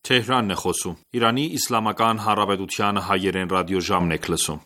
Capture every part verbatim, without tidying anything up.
Թեհրանն է խոսում։ Իրանի Իսլամական Հանրապետության հայերեն ռադիոժամն եք լսում։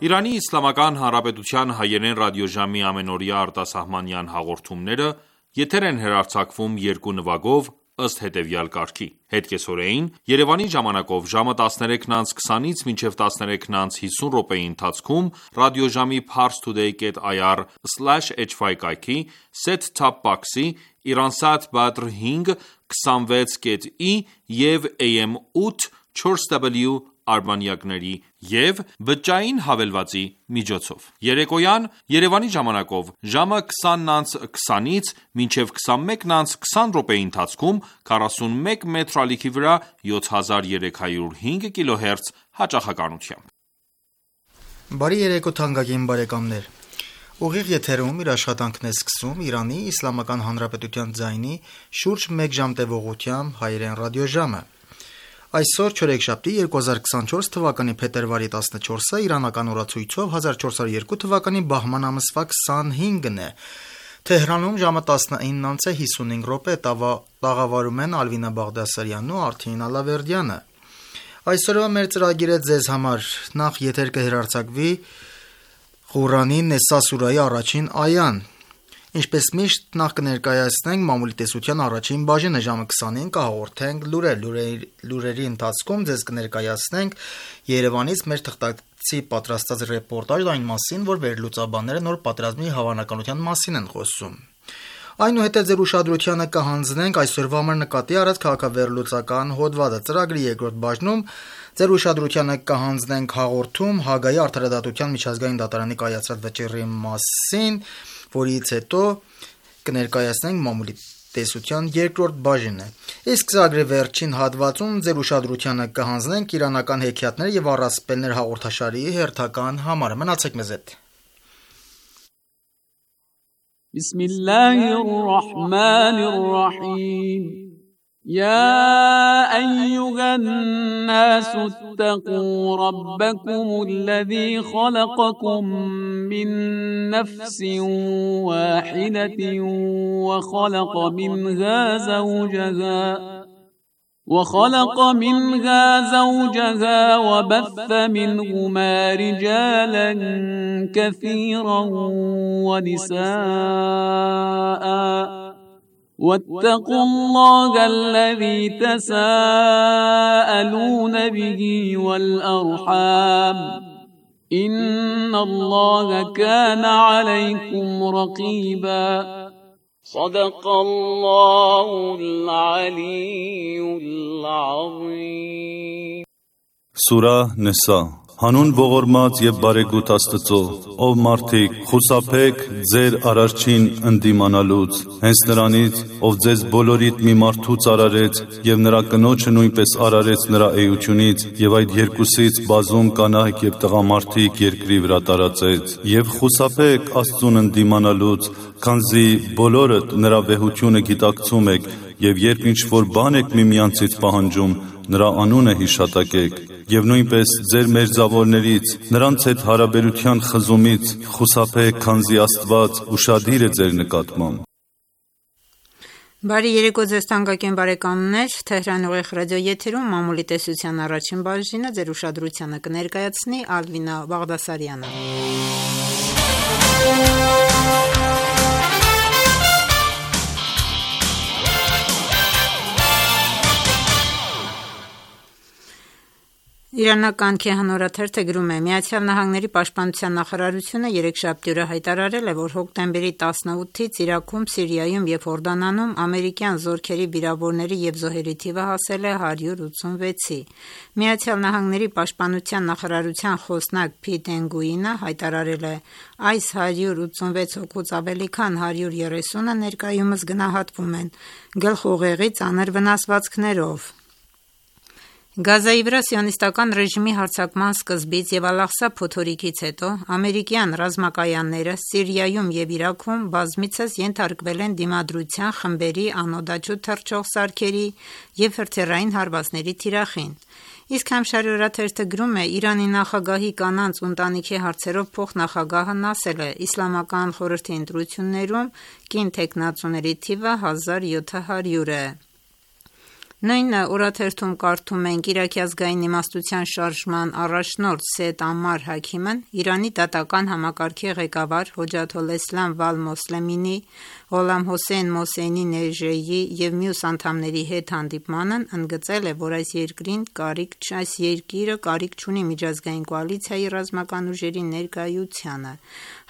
Իրանի Իսլամական Հանրապետության հայերեն ռադիոժամի ամենօրյա արտասահմանյան հաղորդումները եթեր են հեռարձակվում երկու նվագով ըստ հետևյալ կարգի. Հետկեսօրեին Երևանի ժամանակով ժամը տասներեքն անց քսանից մինչև տասներեքն անց հիսուն րոպեի ընթացքում ռադիոժամի parstoday dot i r slash h y կայքի set-top box-ի Iransat Badr հինգ քսանվեց կետ ի և A M ութ չորս W արբանյակների և բջջային հավելվածի միջոցով։ Երեկոյան Երևանի ժամանակով ժամը քսանն անց քսանից մինչև քսանմեկն անց քսան րոպեի ընթացքում քառասունմեկ մետր ալիքի վրա յոթ հազար երեք հարյուր հինգ կիլոհերց հաճախականությամբ։ Բարի երեկո թանկագին բարեկամներ։ Ուղիղ եթերում իր աշխատանքն է սկսում Իրանի Իսլամական Հանրապետության ձայնի շուրջ մեկ ժամ տևողությամբ հայերեն ռադիոժամը։ Այսօր չորեքշաբթի երկու հազար քսանչորս թվականի փետրվարի տասնչորսը իրանական օրացույցով հազար չորս հարյուր երկու թվականի բահման ամսվա քսանհինգն է։ Թեհրանում ժամը տասնինն անց է հիսունհինգ րոպե, տաղավարում են Ալվինա Բաղդասարյանն ու Արթին Ալավերդյանը։ Այսօրվա մեր ծրագիրը ձեզ համար նախ եթեր կհեռարձակվի Ղուրանի Նեսա սուրայի առաջին այան։ Ինչպես միշտ նախ կներկայացնենք մամուլի տեսության առաջին բաժինը, ժամը քսանին կհաղորդենք լուրեր, լուրերի, լուրերի ընթացքում ձեզ կներկայացնենք Երևանից մեր թղթակցի պատրաստած ռեպորտաժ այն մասին, որ վերլուծաբանները նոր պատերազմի հավանականության մասին են խոսում։ Այնուհետև ձեր ուշադրությանը կհանձնենք այսօրվա համար նկատի առած քաղաքավերլուծական հոդվածը։ Ծրագրի երկրորդ բաժնում ձեր ուշադրությանը կհանձնենք հաղորդում Հագայի արդարադատության միջազգային դատարանի կայացրած վճիռի մասին, որից հետո կներկայացնենք մամուլի տեսության երկրորդ բաժինը։ Իսկ ծրագրի վերջին հատվածում ձեր ուշադրությանը կհանձնենք իրանական հեքիաթներ եւ առասպելներ հաղորդաշարի հերթական համարը։ Մնացեք մեզ հետ։ بسم الله الرحمن الرحيم يا أيها الناس اتقوا ربكم الذي خلقكم من نفس واحدة وخلق منها زوجها وخلق منها زوجها وبث منهما رجالا كثيرا ونساء واتقوا الله الذي تساءلون به والأرحام إن الله كان عليكم رقيبا صدق الله العلي العظيم Սուրահ Նեսա Հանուն ողորմած եւ բարեգութ Աստծո, ով մարդիկ, խուսափեք ձեր արարչին ընդդիմանալուց, հենց նրանից, ով ձեզ բոլորիդ մի մարդուց արարեց եւ նրա կնոջը նույնպես արարեց նրա էությունից եւ այդ երկուսից բազում կանայք եւ տղամարդիկ երկրի վրա տարածեց եւ խուսափեք Աստծուն ընդդիմանալուց, քանզի բոլորդ նրա վեհությունը գիտակցում եք եւ երբ ինչ որ բան եք միմյանցից պահանջում, նրա անունը հիշատակեք եւ նույնպես ձեր մերձավորներից նրանց հետ հարաբերության խզումից խուսափեք, քանզի Աստված ուշադիր է ձեր նկատմամբ։ Բարի երեկո ձեզ թանկագին բարեկամներ, Թեհրան ուղիղ ռադիո եթերում մամուլի տեսության առաջին բաժինը ձեր ուշադրությանը կներկայացնի Ալվինա Բաղդասարյանը։ Իրանական Քեհանորաթերթը գրում է. Միացյալ Նահանգների պաշտպանության նախարարությունը երեքշաբթի օրը հայտարարել է, որ հոկտեմբերի տասնութից Իրաքում, Սիրիայում և Հորդանանում ամերիկյան զորքերի վիրավորների և զոհերի թիվը հասել է հարյուր ութսունվեցի։ Միացյալ Նահանգների պաշտպանության նախարարության խոսնակ Փիթ Էնգուինը հայտարարել է. այս հարյուր ութսունվեց հոգուց ավելի քան հարյուր երեսունը ներկայումս գնահատվում են գլխուղեղի ծանր վնասվածքներով։ Գազայի վրա սիոնիստական ռեժիմի հարձակման սկզբից և Ալ-Աղսա փոթորիկից հետո ամերիկյան ռազմակայանները Սիրիայում և Իրաքում բազմիցս ենթարկվել են դիմադրության խմբերի անօդաչու թռչող սարքերի և հրթիռային հարվածների թիրախին։ Իսկ Համշարի օրաթերթը գրում է. Իրանի նախագահի կանանց ու ընտանիքի հարցերով փոխնախագահն ասել է. Իսլամական խորհրդի ընտրություններում կին թեկնածուների թիվը հազար յոթ հարյուր է։ Նույն օրաթերթում կարդում ենք. Իրաքի ազգային իմաստության շարժման առաջնորդ Սեյեդ Ամմար Հաքիմն Իրանի դատական համակարգի ղեկավար Հոջաթոլէսլամ Վալ-Մոսլեմինի, Ղոլամ Հոսեյն Մոսեյնի Նեժեյի և մյուս անդամների հետ հանդիպմանն ընդգծել է, որ այս երկրին կարիք այս երկիրը կարիք չունի միջազգային կոալիցիայի ռազմական ուժերի ներկայությանը։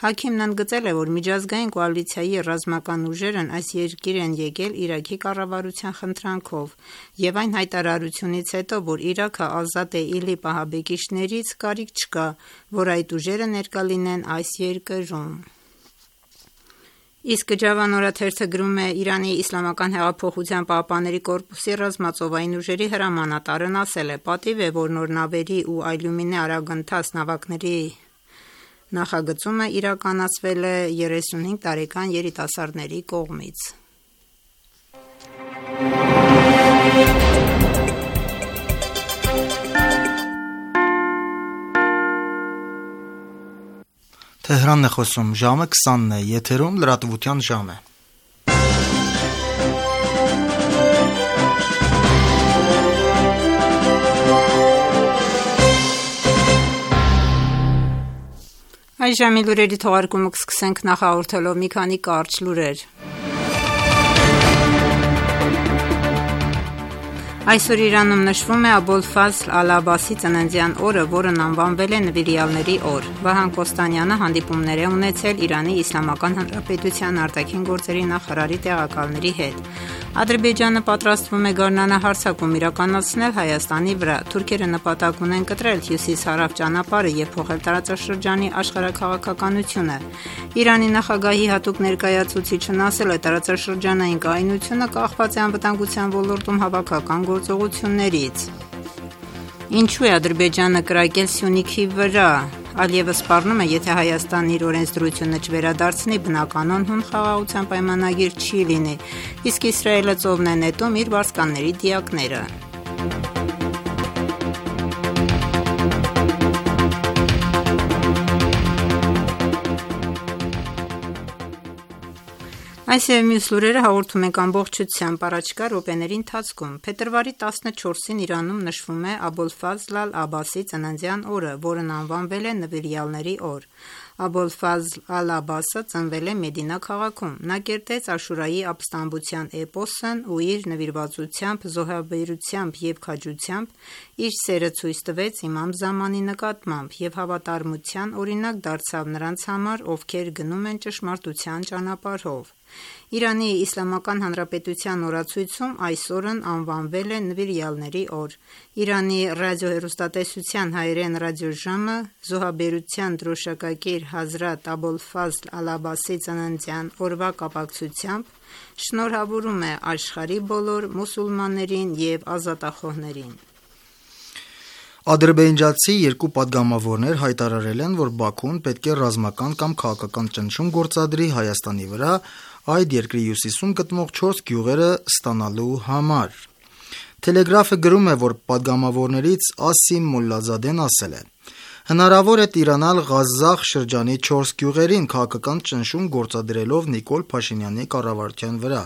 Հաքիմն ընդգծել է, որ միջազգային կոալիցիայի ռազմական ուժերն այս երկիր են եկել Իրաքի կառավարության խնդրանքով և այն հայտարարությունից հետո, որ Իրաքը ազատ է ԻԼԻՊ ահաբեկիչներից, կարիք չկա, որ այդ ուժերը ներկա լինեն այս երկրում։ Իսկ Ջավան օրաթերթը գրում է. Իրանի Իսլամական հեղափոխության պահապանների կորպուսի ռազմածովային ուժերի հրամանատարն ասել է. պատիվ է, որ նոր նավերի ու այլումինե արագընթաց նավակների նախագծումը իրականացվել է երեսունհինգ տարեկան երիտասարդների կողմից։ Թեհրանն է խոսում, ժամը քսանն է, եթերում լրատվության ժամ է։ Այս ժամի լուրերի թողարկումը կսկսենք նախահաղորդելով մի քանի կարճ լուրեր։ Այսօր Իրանում նշվում է Աբոլֆազլ Ալ-Աբասի ծննդյան օրը, որն անվանվել է Նվիրյալների օր։ Վահան Կոստանյանը հանդիպումներ է ունեցել Իրանի Իսլամական Հանրապետության արտաքին գործերի նախարարի տեղակալների հետ։ Ադրբեջանը պատրաստվում է գարնանահարձակում իրականացնել Հայաստանի վրա։ Թուրքերը նպատակ ունեն կտրել հյուսիս-հարավ ճանապարհը և փոխել տարածաշրջանի աշխարհաքաղաքականությունը։ Իրանի նախագահի հատուկ ներկայացուցիչն ասել է, տարածաշրջանային կայունությունը կախված է անվտանգության ոլորտում հավաքական գործողություններից։ Ինչու է Ադրբեջանը կրակել Սյունիքի վրա։ Ալիևը սպառնում է, եթե Հայաստանն իր օրենսդրությունը չվերադարձնի, բնականon հուն խաղաղության պայմանագիր չի լինի, իսկ Իսրայելը ծովն է նետում իր վարձկանների դիակները։ Այս և մյուս լուրերը հաղորդում ենք ամբողջությամբ առաջիկա րոպեների ընթացքում։ Փետրվարի տասնչորսին Իրանում նշվում է Աբոլֆազլ Ալ-Աբասի ծննդյան օրը, որն անվանվել է Նվիրյալների օր։ Աբոլֆազլ Ալ-Աբասը ծնվել է Մեդինա քաղաքում։ Նա կերտեց Աշուրայի ապստամբության էպոսն ու իր նվիրվածությամբ, զոհաբերությամբ և քաջությամբ իր սերը ցույց տվեց Իմամ Զամանի նկատմամբ և հավատարմության օրինակ դարձավ նրանց համար, ովքեր գնում են ճշմարտության ճանապարհով։ Իրանի Իսլամական Հանրապետության օրացույցում այս օրն անվանվել է Նվիրյալների օր։ Իրանի ռադիոհեռուստատեսության հայերեն ռադիոժամը զոհաբերության դրոշակակիր Հազրաթ Աբոլֆազլ Ալ-Աբասի ծննդյան օրվա կապակցությամբ շնորհավորում է աշխարհի բոլոր մուսուլմաններին և ազատախոհներին։ Ադրբեջանցի երկու պատգամավորներ հայտարարել են, որ Բաքուն պետք է ռազմական կամ քաղաքական ճնշում գործադրի Հայաստանի վրա այդ երկրի հյուսիսում գտնվող չորս գյուղերը ստանալու համար։ Թելեգրաֆը գրում է, որ պատգամավորներից Ասիմ Մոլլազադեն ասել է. Հնարավոր է տիրանալ Ղազախ շրջանի չորս գյուղերին քաղաքական ճնշում գործադրելով Նիկոլ Փաշինյանի կառավարության վրա։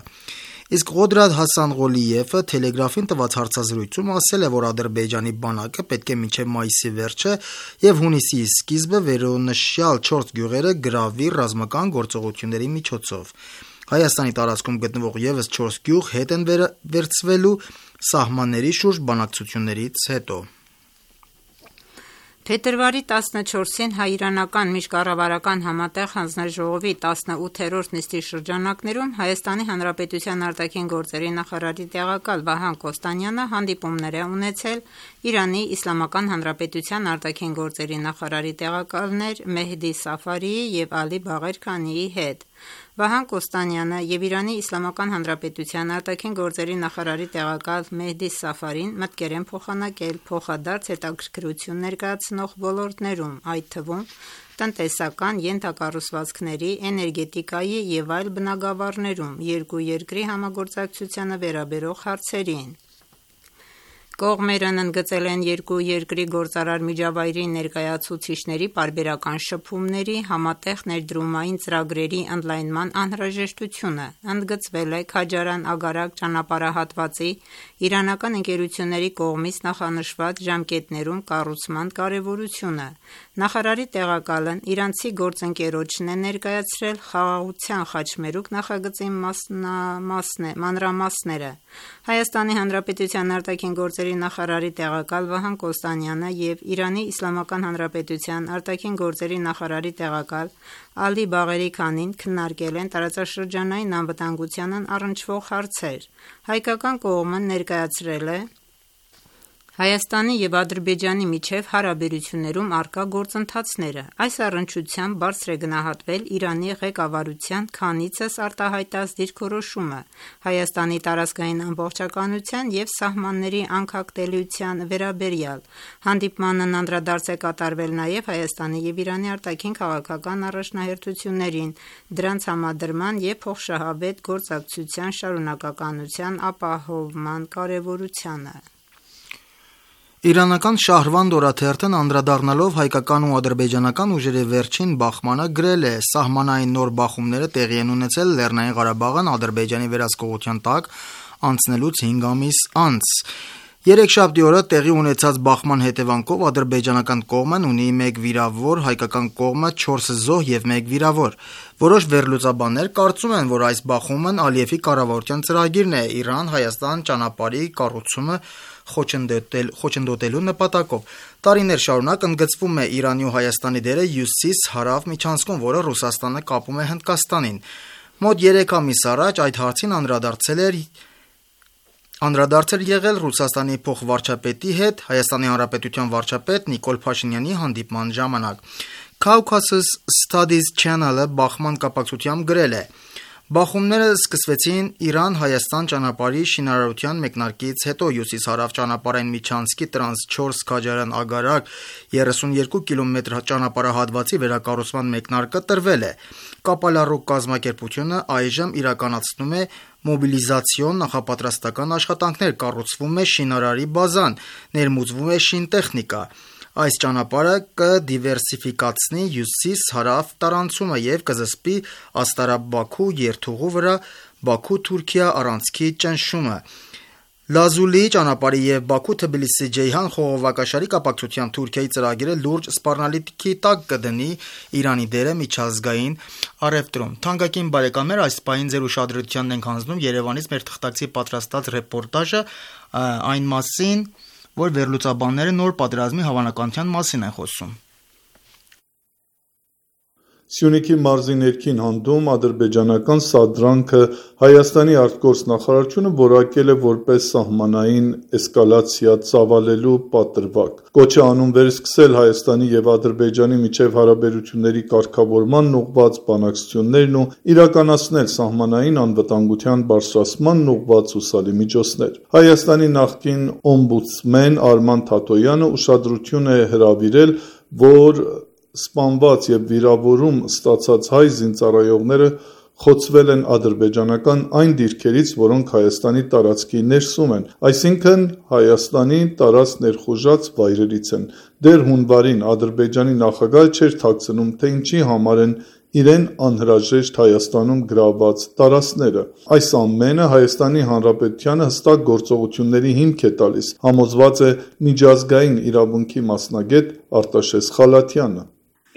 Իսկ Ղոդրաթ Հասանղոլիևը Թելեգրաֆին տված հարցազրույցում ասել է, որ Ադրբեջանի բանակը պետք է մինչև մայիսի վերջը և հունիսի սկիզբը վերոնշյալ չորս գյուղերը գրավի ռազմական գործողությունների միջոցով։ Հայաստանի տարածքում գտնվող ևս չորս գյուղ հետ են վերցվելու սահմանների շուրջ բանակցություններից հետո։ Փետրվարի տասնչորսին հայ-իրանական միջկառավարական համատեղ հանձնաժողովի տասնութերորդ նիստի շրջանակներում Հայաստանի Հանրապետության արտաքին գործերի նախարարի տեղակալ Վահան Կոստանյանը հանդիպումներ է ունեցել Իրանի Իսլամական Հանրապետության արտաքին գործերի նախարարի տեղակալներ Մեհդի Սաֆարիի և Ալի Բաղեր Քանիի հետ։ Վահան Կոստանյանը և Իրանի Իսլամական Հանրապետության արտաքին գործերի նախարարի տեղակալ Մեհդի Սաֆարին մտկեր են փոխանակել փոխադարձ հետաքրքրություն ներկայացնող ոլորտներում, այդ թվում տնտեսական, ենթակառուցվածքների, էներգետիկայի և այլ բնագավառներում երկու երկրի համագործակցությանը վերաբերող հարցերին։ Կողմերն ընդգծել են երկու երկրի գործարար միջավայրի ներկայացուցիչների պարբերական շփումների, համատեղ ներդրումային ծրագրերի ընդլայնման անհրաժեշտությունը, ընդգծվել է Քաջարան-Ագարակ ճանապարհահատվածի իրանական ընկերությունների կողմից նախանշված ժամկետներում կառուցման կարևորությունը։ Նախարարի տեղակալն իրանցի գործընկերոջն է ներկայացրել Խաղաղության խաչմերուկ նախագծի մանրամասները։ Հայաստանի Հանրապետության արտաքին գործերի նախարարի տեղակալ Վահան Կոստանյանը և Իրանի Իսլամական Հանրապետության արտաքին գործերի նախարարի տեղակալ Ալի Բաղերի Քանին քննարկել են տարածաշրջանային անվտանգությանն առնչվող հարցեր։ Հայկական կողմը ներկայացրել է Հայաստանի և Ադրբեջանի միջև հարաբերություններում առկա գործընթացները։ Այս առնչությամբ բարձր է գնահատվել Իրանի ղեկավարության քանիցս արտահայտած դիրքորոշումը Հայաստանի տարածքային ամբողջականության և սահմանների անկախտելիության վերաբերյալ։ Հանդիպմանն անդրադարձ է կատարվել նաև Հայաստանի և Իրանի արտաքին քաղաքական առաջնահերթություններին, դրանց համադրման և փոխշահավետ գործակցության շարունակականության ապահովման կարևորությանը։ Իրանական Շահրվանդ օրաթերթն անդրադառնալով հայկական ու ադրբեջանական ուժերի վերջին բախմանը գրել է. «Սահմանային նոր բախումները տեղի են ունեցել Լեռնային Ղարաբաղն Ադրբեջանի վերահսկողության տակ անցնելուց հինգ ամիս անց։ Երեքշաբթի օրը տեղի ունեցած բախման հետևանքով ադրբեջանական կողմն ունի մեկ վիրավոր, հայկական կողմը չորս զոհ և մեկ վիրավոր։ Որոշ վերլուծաբաններ կարծում են, որ այս բախումն Ալիևի կառավարության ծրագիրն է Իրան-Հայաստան ճանապարհի կառուցումը խոչընդոտելու նպատակով։ Տարիներ շարունակ ընդգծվում է Իրանի ու Հայաստանի դերը հյուսիս-հարավ միջանցքում, որը Ռուսաստանը կապում է Հնդկաստանին։ Մոտ երեք ամիս առաջ այդ հարցին անդրադարձել էր Անդրադարձ էր եղել Ռուսաստանի փոխվարչապետի հետ Հայաստանի Հանրապետության վարչապետ Նիկոլ Փաշինյանի հանդիպման ժամանակ։ Caucasus Studies Channel-ը բախման կապակցությամբ գրել է. «Բախումները սկսվեցին Իրան-Հայաստան ճանապարհի շինարարության մեկնարկից հետո հյուսիս-հարավ ճանապարհային միջանցքի տրանս չորս Քաջարան-Ագարակ երեսունյոթ կիլոմետր ճանապարհահատվածի վերակառուցման մեկնարկը տրվել է։ Կապալառու կազմակերպությունը այժմ իրականացնում է մոբիլիզացիոն նախապատրաստական աշխատանքներ, կառուցվում է շինարարի բազան, ներմուծվում է շինտեխնիկա։ Այս ճանապարհը կդիվերսիֆիկացնի հյուսիս-հարավ տարանցումը և կզսպի Աստարաբ-Բաքու երթուղու վրա Բաքու-Թուրքիա առանցքի ճնշումը։ Լազուլի ճանապարհի և Բաքու-Թբիլիսի-Ջեյհան խողովակաշարի կապակցությամբ Թուրքիայի ծրագիրը լուրջ սպառնալիքի տակ կդնի Իրանի դերը միջազգային առևտրում»։ Թանկագին բարեկամներ, այս պահին ձեր ուշադրությանն ենք հանձնում Երևանից մեր թղթակցի պատրաստած ռեպորտաժը այն մասին, որ վերլուծաբանները նոր պատերազմի հավանականության մասին են խոսում։ Սյունիքի մարզի ներքին հանդում ադրբեջանական սադրանքը Հայաստանի արտգործնախարարությունը որակել է որպես սահմանային էսկալացիա ծավալելու պատրվակ։ Կոչ է անում վերսկսել Հայաստանի և Ադրբեջանի միջև հարաբերությունների կարգավորմանն ուղղված բանակցություններն ու իրականացնել սահմանային անվտանգության բարձրացմանն ուղղված հուսալի միջոցներ։ Հայաստանի նախկին օմբուդսմեն Արման Թաթոյանը ուշադրություն է հրավիրել, որ սպանված և վիրավորում ստացած հայ զինծառայողները խոցվել են ադրբեջանական այն դիրքերից, որոնք Հայաստանի տարածքի ներսում են, այսինքն Հայաստանի տարած ներխուժած վայրերից են։ Դեռ հունվարին Ադրբեջանի նախագահը չէր թաքցնում, թե ինչի համար են իրեն անհրաժեշտ Հայաստանում գրաված տարածքները։ Այս ամենը Հայաստանի Հանրապետությանը հստակ գործողությունների հիմք է տալիս, համոզված է միջազգային իրավունքի մասնագետ Արտաշես Խալաթյանը։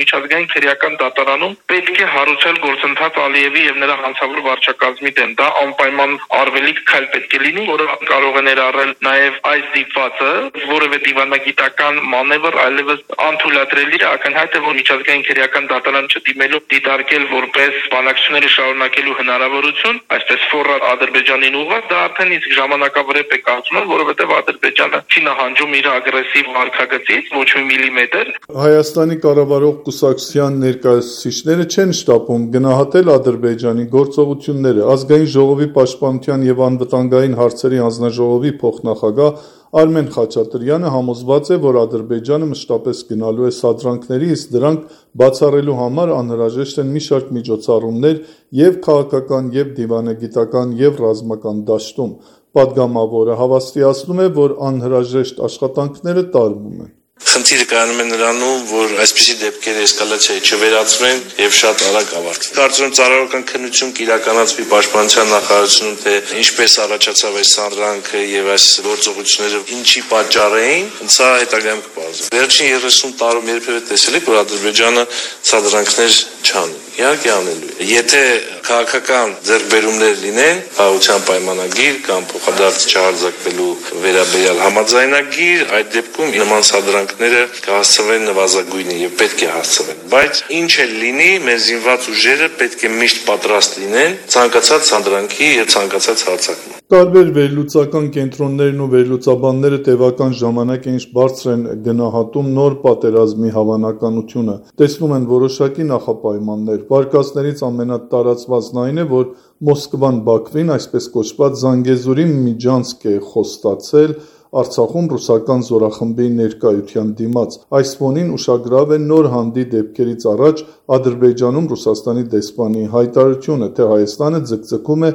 միջազգային քրեական դատարանում պետք է հարուցել գործընթաց Ալիևի եւ նրա հանցավոր վարչակազմի դեմ։ Դա անպայման արվելիք քայլ պետք է լինի, որը կարող է ներառել նաեւ այս դիպվածը, որևէ դիվանագիտական մանևր այլևս անթույլատրելի է, ակնհայտ է, որ միջազգային քրեական դատարան չդիմելու դիտարկել որպես բանակցությունների շարունակելու հնարավորություն, այսպես ֆորը Ադրբեջանին ուղղված, դա արդեն իսկ ժամանակավրեպ է կարծում, որովհետեւ Ադրբեջանը չի նահանջում իր ագրեսիվ վարքագծից ոչ մի միլիմետր։ Հայաստանի կառավարող կուսակցության ներկայացուցիչները չեն շտապում գնահատել Ադրբեջանի գործողությունները։ Ազգային ժողովի պաշտպանության եւ անվտանգային հարցերի հանձնաժողովի փոխնախագահ Արմեն Խաչատրյանը համոզված է, որ Ադրբեջանը մշտապես գնալու է սադրանքների, իսկ դրանք բացառելու համար անհրաժեշտ են մի շարք միջոցառումներ եւ քաղաքական, եւ դիվանագիտական, եւ ռազմական դաշտում։ Պատգամավորը հավաստիացնում է, որ անհրաժեշտ աշխատանքները տարվում են։ Խնդիրը կայանում է նրանում, որ այսպիսի դեպքերը էսկալացիայի չվերածվեն եւ շատ արագ ավարտվեն։ Կարծում եմ ծառայական քննություն կիրականացվի պաշտպանության նախարարությունում, թե ինչպես առաջացավ այս սադրանքը եւ այս գործողությունները ինչի պատճառ էին, սա հետագայում կպարզվի։ Վերջին երեսուն տարում երբևէ տեսել եք, որ Ադրբեջանը սադրանքներ չանի։ Իհարկե անելու է։ Եթե քաղաքական ձեռքբերումներ լինեն, խաղաղության պայմանագիր կամ փոխադարձ չհարձակվելու վերաբերյալ համաձայնագիր, այդ դեպքում նման սադրանքները կհասցվեն նվազագույնի եւ պետք է հասցվեն։ Բայց ինչ էլ լինի, մեր զինված ուժերը պետք է միշտ պատրաստ լինեն ցանկացած սադրանքի եւ ցանկացած հարձակման։ Տարբեր վերլուծական կենտրոններն ու վերլուծաբանները տևական ժամանակ ինչ բարձր են գնահատում նոր պատերազմի հավանականությունը։ Տեսնում են որոշակի նախապայմաններ։ Վարկածներից ամենատարածվածն այն է, որ Մոսկվան Բաքվին այսպես կոչված Զանգեզուրի միջանցք է խոստացել Արցախում ռուսական զորախմբի ներկայության դիմաց։ Այս ֆոնին ուշագրավ է նոր հանդի դեպքերից առաջ Ադրբեջանում Ռուսաստանի դեսպանի հայտարարությունը, թե Հայաստանը ձգձգում է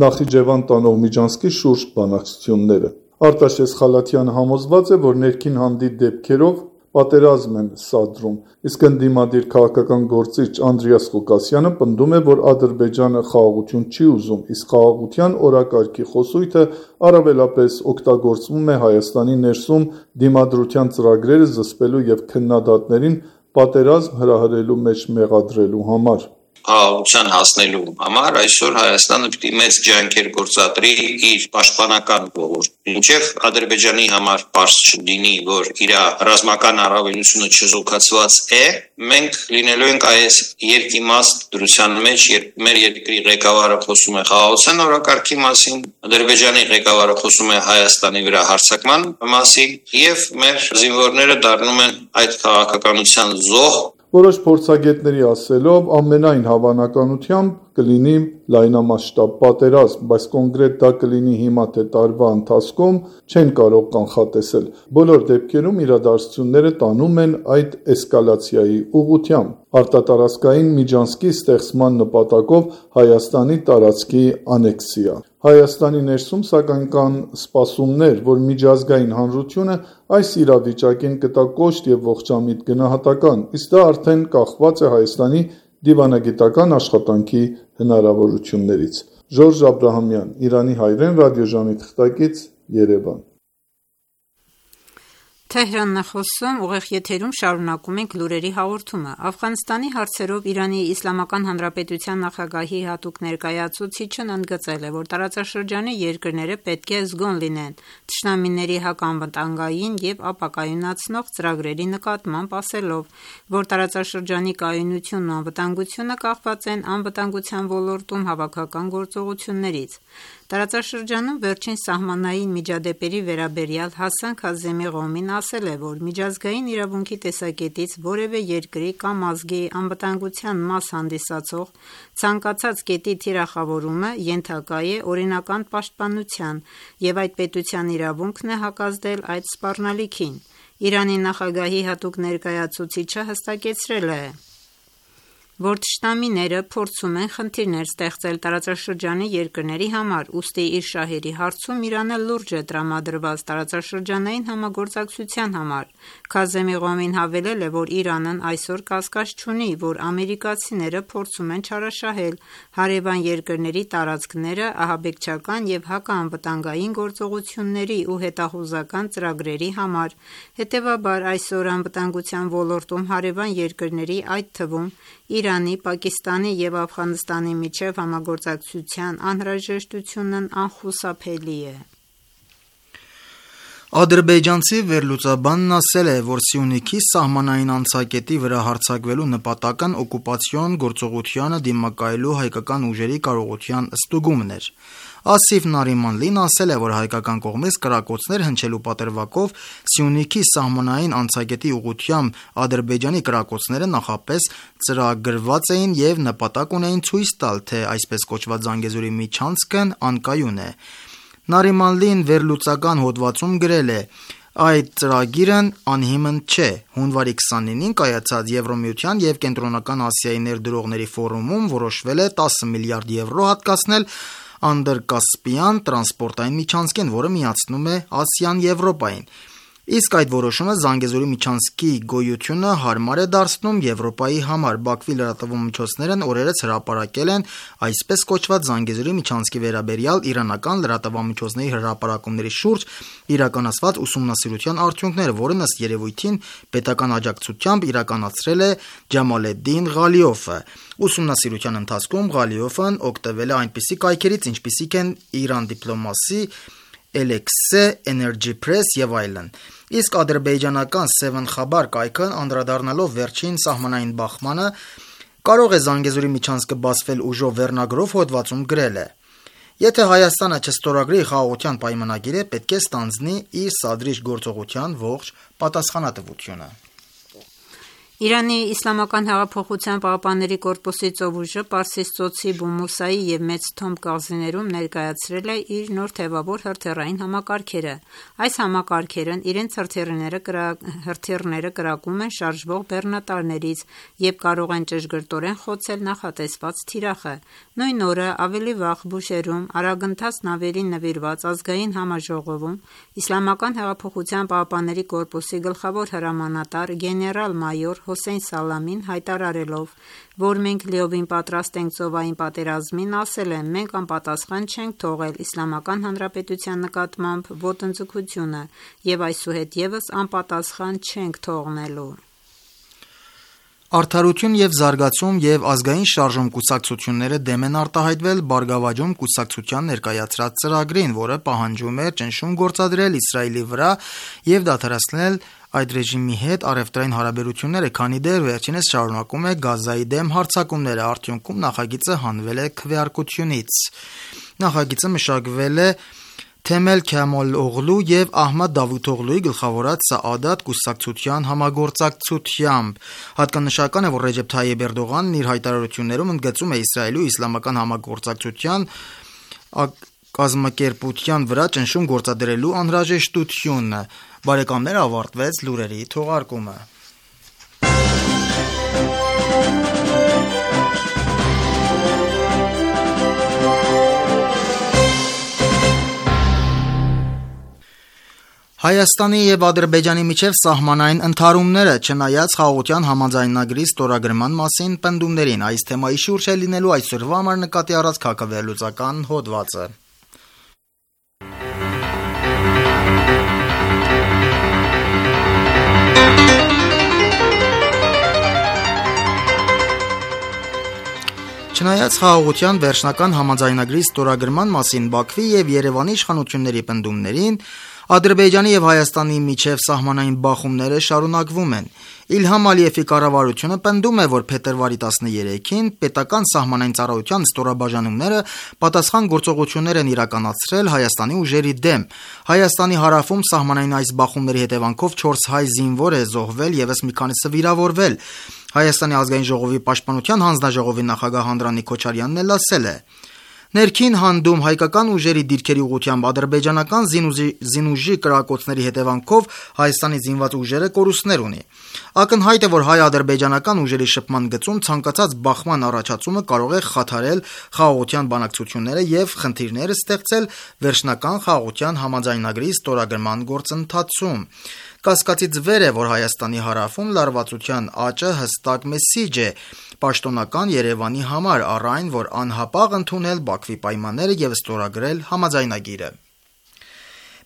Նախիջևան տանող Միջանցքի շուրջ բանակցությունները։ Արտաշես Խալաթյանը համոզված է, որ ներքին հանդի դեպքերով պատերազմ են սադրում, իսկ ընդդիմադիր քաղաքական գործիչ Անդրեաս Ղուկասյանը պնդում է, որ Ադրբեջանը խաղաղություն չի ուզում, իսկ խաղաղության օրակարգի խոսույթը առավելապես օգտագործվում է Հայաստանի ներսում դիմադրության ծրագրերը զսպելու եւ քննադատներին պատերազմ հրահրելու մեջ մեղադրելու համար։ Խաղաղության հասնելու համար այսօր Հայաստանը պիտի մեծ ջանքեր գործադրի իր պաշտպանական ոլորտում, մինչև Ադրբեջանի համար պարզ չլինի, որ իր ռազմական առավելությունը չզուգացված է, մենք լինելու ենք այս երկիմաստ դրության մեջ, երբ մեր երկրի ղեկավարը խոսում է խաղաղության օրակարգի մասին, Ադրբեջանի ղեկավարը խոսում է Հայաստանի վրա հարձակման մասին, եւ մեր զինվորները դառնում են այդ քաղաքականության զոհ։ Որոշ փորձագետների ասելով ամենայն հավանականությամբ կլինի լայնամասշտաբ պատերազմ, բայց կոնկրետ դա կլինի հիմա թե տարվա ընթացքում չեն կարող կանխատեսել։ Բոլոր դեպքերում իրադարձությունները տանում են այդ էսկալացիայի ուղղությամբ, արտատարածքային միջանցքի ստեղծման նպատակով Հայաստանի տարածքի անեքսիա։ Հայաստանի ներսում սակայն կան սպասումներ, որ միջազգային հանրությունը այս իրավիճակին կտա կոշտ եւ ողջամիտ գնահատական, իսկ դա արդեն կախված է Հայաստանի դիվանագիտական աշխատանքի հնարավորություններից։ Ժորժ Աբրահամյան, Իրանի հայրեն ռադիոժամի թղթակից, Երևան։ Թեհրանն է խոսում, ուղիղ եթերում շարունակում ենք լուրերի հաղորդումը։ Աֆղանստանի հարցերով Իրանի Իսլամական Հանրապետության նախագահի հատուկ ներկայացուցիչն ընդգծել է, որ տարածաշրջանի երկրները պետք է զգոն լինեն թշնամիների հականվտանգային եւ ապակայունացնող ծրագրերի նկատմամբ, ասելով, որ տարածաշրջանի կայունությունն ու անվտանգությունը կախված են անվտանգության ոլորտում հավաքական գործողություններից։ Տարածաշրջանում վերջին սահմանային միջադեպերի վերաբերյալ Հասան Քազեմի Ղոմին ասել է, որ միջազգային իրավունքի տեսակետից որևէ երկրի կամ ազգի անվտանգության մաս հանդիսացող ցանկացած կետի թիրախավորումը ենթակա է օրինական պաշտպանության եւ այդ պետության իրավունքն է հակազդել այդ սպառնալիքին։ Իրանի նախագահի հատուկ ներկայացուցիչը հստակեցրել է, որ թշնամիները փորձում են խնդիրներ ստեղծել տարածաշրջանի երկրների համար, ուստի իր շահերի հարցում Իրանը լուրջ է տրամադրված տարածաշրջանային համագործակցության համար։ Քազեմի Ղոմին հավելել է, որ Իրանն այսօր կասկած չունի, որ ամերիկացիները փորձում են չարաշահել հարևան երկրների տարածքները ահաբեկչական և հակաանվտանգային գործողությունների ու հետախուզական ծրագրերի համար։ Հետևաբար, այսօր անվտանգության ոլորտում հարևան երկրների, այդ թվում Իրանի, Պակիստանի և Աֆղանստանի միջև համագործակցության անհրաժեշտությունն անխուսափելի է։ Ադրբեջանցի վերլուծաբանն ասել է, որ Սյունիքի սահմանային անցակետի վրա հարձակվելու նպատակն օկուպացիոն գործողությանը դիմակայելու հայկական ուժերի կարողության ստուգումն էր։ Ասիֆ Նարիմանլին ասել է, որ հայկական կողմից կրակոցներ հնչելու պատրվակով Սյունիքի սահմանային անցակետի ուղղությամբ Ադրբեջանի կրակոցները նախապես ծրագրված էին և նպատակ ունեին ցույց տալ, թե այսպես կոչված Զանգեզուրի միջանցքն անկայուն է։ Նարիմանլին վերլուծական հոդվածում գրել է. Այդ ծրագիրն անհիմն չէ։ Հունվարի քսանինին կայացած Եվրամիության և Կենտրոնական Ասիայի ներդրողների ֆորումում որոշվել է տասը միլիարդ եվրո հատկացնել Անդրկասպյան տրանսպորտային միջանցքին, որը միացնում է Ասիան Եվրոպային։ Իսկ այդ որոշումը Զանգեզուրի միջանցքի գոյությունը հարմար է դարձնում Եվրոպայի համար։ Բաքվի լրատվամիջոցներն օրերս հրապարակել են այսպես կոչված Զանգեզուրի միջանցքի վերաբերյալ իրանական լրատվամիջոցների հրապարակումների շուրջ իրականացված ուսումնասիրության արդյունքները, որն ըստ երևույթին պետական աջակցությամբ իրականացրել է Ջամալեդդին Ղալիովը։ Ուսումնասիրության ընթացքում Ղալիովն օգտվել է այնպիսի կայքերից, ինչպիսիք են Իրան Դիպլոմասի, Էլեքսե, Էներջի Փրես և այլն։ Իսկ ադրբեջանական Seven Xabar կայքն անդրադառնալով վերջին սահմանային բախմանը կարող է Զանգեզուրի միջանցքը բացվել ուժով վերնագրով հոդվածում գրել է. Եթե Հայաստանը չստորագրի խաղաղության պայմանագիրը, պետք է ստանձնի իր սադրիչ գործողության ողջ պատասխանատվությունը։ Իրանի Իսլամական հեղափոխության պահապանների կորպուսի ծովուժը Պարսից ծոցի Բումուսայի և Մեծ Թոմ կղզիներում ներկայացրել է իր նոր թևավոր հրթիռային համակարգերը։ Այս համակարգերն իրենց հրթիռները կրա... հրթիռները կրակում են շարժվող բեռնատարներից և կարող են ճշգրտորեն խոցել նախատեսված թիրախը։ Նույն օրը ավելի վաղ Բուշերում արագընթաց նավերին նվիրված ազգային համաժողովում Իսլամական հեղափոխության պահապանների կորպուսի գլխավոր հրամանատար գեներալ-մայոր Հոսեյն Սալամին հայտարարելով, որ մենք լիովին պատրաստ ենք ծովային պատերազմին, ասել է. մենք անպատասխան չենք թողել Իսլամական Հանրապետության նկատմամբ ոտնձգությունը և այսուհետ ևս անպատասխան չենք թողնելու։ Արդարություն և զարգացում և ազգային շարժում կուսակցությունները դեմ են արտահայտվել Բարգավաճում կուսակցության ներկայացրած ծրագրին, որը պահանջում է ճնշում գործադրել Իսրայելի վրա և դադարեցնել այդ ռեժիմի հետ առևտրային հարաբերությունները, քանի դեռ վերջինս շարունակում է Գազայի դեմ հարձակումները։ Արդյունքում նախագիծը հանվել է քվեարկությունից։ Նախագիծը մշակվել է Թեմել Քամալօղլու և Ահմադ Դավութօղլուի գլխավորած Սաադաթ կուսակցության համագործակցությամբ։ Հատկանշական է, որ Ռեջեփ Թայիպ Էրդողանն իր հայտարարություններում ընդգծում է Իսրայելի ու իսլամական համագործակցության կազմակերպության վրա ճնշում գործադրելու անհրաժեշտությունը։ Բարեկամներ, ավարտվեց լուրերի թողարկումը։ Հայաստանի և Ադրբեջանի միջև սահմանային ընդհարումները, չնայած խաղաղության համաձայնագրի ստորագրման մասին պնդումներին, այս թեմայի շուրջ է լինելու այսօրվա համար նկատի առած քաղաքավերլուծական հոդվածը։ Չնայած խաղաղության վերջնական համաձայնագրի ստորագրման մասին Բաքվի և Երևանի իշխանությունների պնդումներին, Ադրբեջանի և Հայաստանի միջև սահմանային բախումները շարունակվում են։ Իլհամ Ալիևի կառավարությունը պնդում է, որ փետրվարի տասներեքին պետական սահմանային ծառայության ստորաբաժանումները պատասխան գործողություններ են իրականացրել Հայաստանի ուժերի դեմ։ Հայաստանի հարավում սահմանային այս բախումների հետևանքով չորս հայ զինվոր է զոհվել, ևս մի քանիսը վիրավորվել։ Հայաստանի ազգային ժողովի պաշտպանության հանձնաժողովի նախագահ Անդրանիկ Քոչարյանն էլ ասել է. Ներքին հանդում հայկական ուժերի դիրքերի ուղղությամբ ադրբեջանական զինուժի, զինուժի կրակոցների հետևանքով Հայաստանի զինված ուժերը կորուստներ ունի։ Ակնհայտ է, որ հայ-ադրբեջանական ուժերի շփման գծում ցանկացած բախման առաջացումը կարող է խաթարել խաղաղության բանակցությունները եւ խնդիրներ ստեղծել վերջնական խաղաղության համաձայնագրի ստորագրման գործընթացում։ Կասկածից վեր է, որ Հայաստանի հարավում լարվածության աճը հստակ մեսիջ է պաշտոնական Երևանի համար, առ այն, որ անհապաղ ընդունել Բաքվի պայմանները եւ ստորագրել համաձայնագիրը։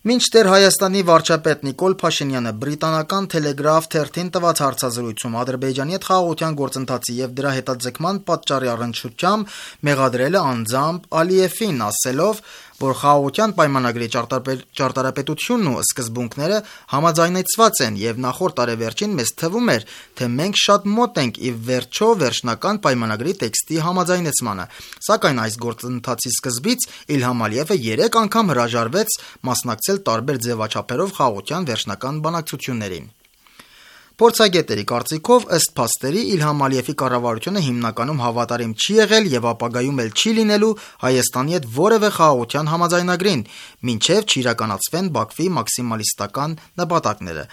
Մինչդեռ Հայաստանի վարչապետ Նիկոլ Փաշինյանը բրիտանական Telegraph թերթին տված հարցազրույցում Ադրբեջանի հետ խաղաղության գործընթացի եւ դրա հետաձգման պատճառի առնչությամբ մեղադրել է անձամբ Ալիևին, ասելով, որ խաղաղության պայմանագրի ճարտարապետությունն ու սկզբունքները համաձայնեցված են եւ նախորդ տարեվերջին մեզ թվում էր, թե մենք շատ մոտ ենք ի վերջո վերջնական պայմանագրի տեքստի համաձայնեցմանը, սակայն այս գործընթացի սկզբից Իլհամ Ալիևը երեք անգամ հրաժարվեց մասնակցել տարբեր ձևաչափերով խաղաղության վերջնական բանակցություններին։ Փորձագետների կարծիքով, ըստ փաստերի, Իլհամ Ալիևի կառավարությունը հիմնականում հավատարիմ չի եղել եւ ապագայում էլ չի լինելու Հայաստանի հետ որևէ խաղաղության համաձայնագրին, մինչեւ չիրականացվեն Բաքվի մաքսիմալիստական նպատակները։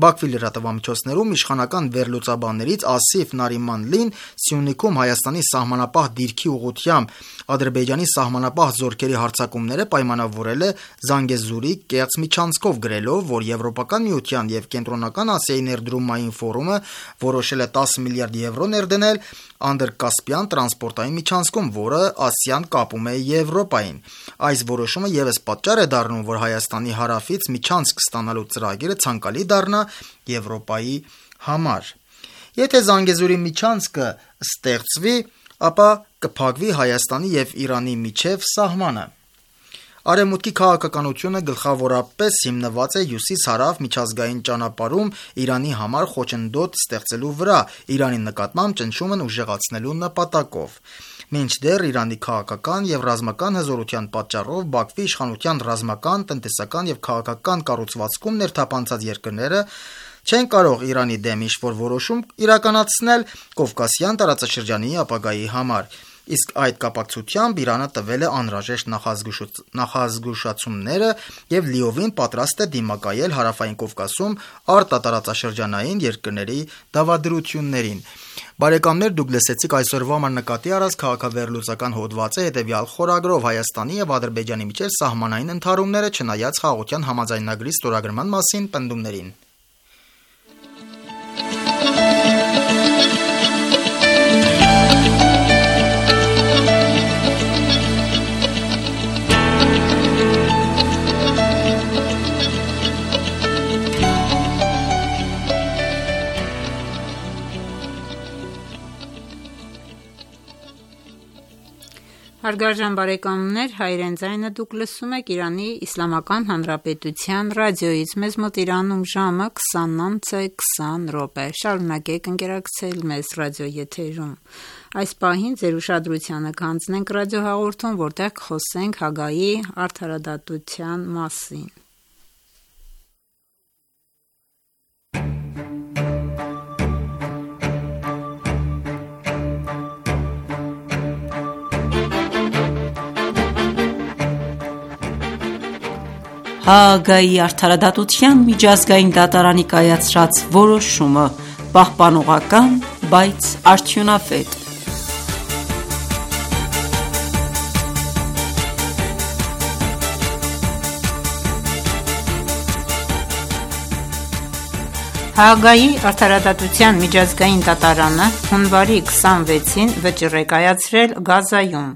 Բաքվի լրատվամիջոցներում իշխանական վերլուծաբաններից Ասիֆ Նարիմանլին Սյունիքում Հայաստանի սահմանապահ դիրքի ուղղությամբ Ադրբեջանի սահմանապահ զորքերի հարձակումները պայմանավորել է Զանգեզուրի կեղծ միջանցքով, գրելով, որ Եվրոպական միության եւ Կենտրոնական Ասիայի ներդրումային ֆորումը որոշել է տասը միլիարդ եվրո ներդնել Անդրկասպյան տրանսպորտային միջանցքում, որը Ասիան կապում է Եվրոպային։ Այս որոշումը եւս պատճառ է դառնում, որ Հայաստանի հարավից միջանցք ստանալու ծրագիրը ցանկալի դառնա Եվրոպայի համար։ Եթե Զանգեզուրի միջանցքը ստեղծվի, ապա կփակվի Հայաստանի եւ Իրանի միջև սահմանը։ Արևմուտքի քաղաքականությունը գլխավորապես հիմնված է հյուսիս-հարավ միջազգային ճանապարհում Իրանի համար խոչընդոտ ստեղծելու վրա, Իրանի նկատմամբ ճնշումն ուժեղացնելու նպատակով։ Մինչդեռ Իրանի քաղաքական եւ ռազմական հզորության պատճառով Բաքվի իշխանության ռազմական, տնտեսական եւ քաղաքական կառուցվածքում ներթափանցած երկրները չեն կարող Իրանի դեմ ինչ-որ որոշում իրականացնել Կովկասյան տարածաշրջանի ապագայի համար։ Իսկ այդ կապակցությամբ Իրանը տվել է անհրաժեշտ նախազգուշացումները եւ լիովին պատրաստ է դիմակայել Հարավային Կովկասում արտատարածաշրջանային երկրների դավադրություններին։ Բարեկամներ, դուք լսեցիք այսօրվա համար նկատի առած քաղաքավերլուծական հոդվածը հետեւյալ խորագրով Հայաստանի եւ Ադրբեջանի միջև սահմանային ընդհարումները չնայած խաղաղության համաձայնագրի ստորագրման մասին պնդումներին։ Հարգարժան բարեկամներ, Հայրեն ձայնը դուք լսում եք Իրանի Իսլամական Հանրապետության ռադիոյից։ Մեզ մոտ Իրանում ժամը քսանինը քսան րոպե։ Շարունակեք ընկերակցել մեզ ռադիոեթերում։ Այս պահին ձեր ուշադրությանը կհանձնենք ռադիոհաղորդում, որտեղ կխոսենք Հագայի արդարադատության մասին։ Հաագայի արդարադատության միջազգային դատարանի կայացրած որոշումը պահպանողական, բայց արդյունավետ։ Հաագայի արդարադատության միջազգային դատարանը հունվարի քսանվեցին վճիռ է կայացրել Գազայում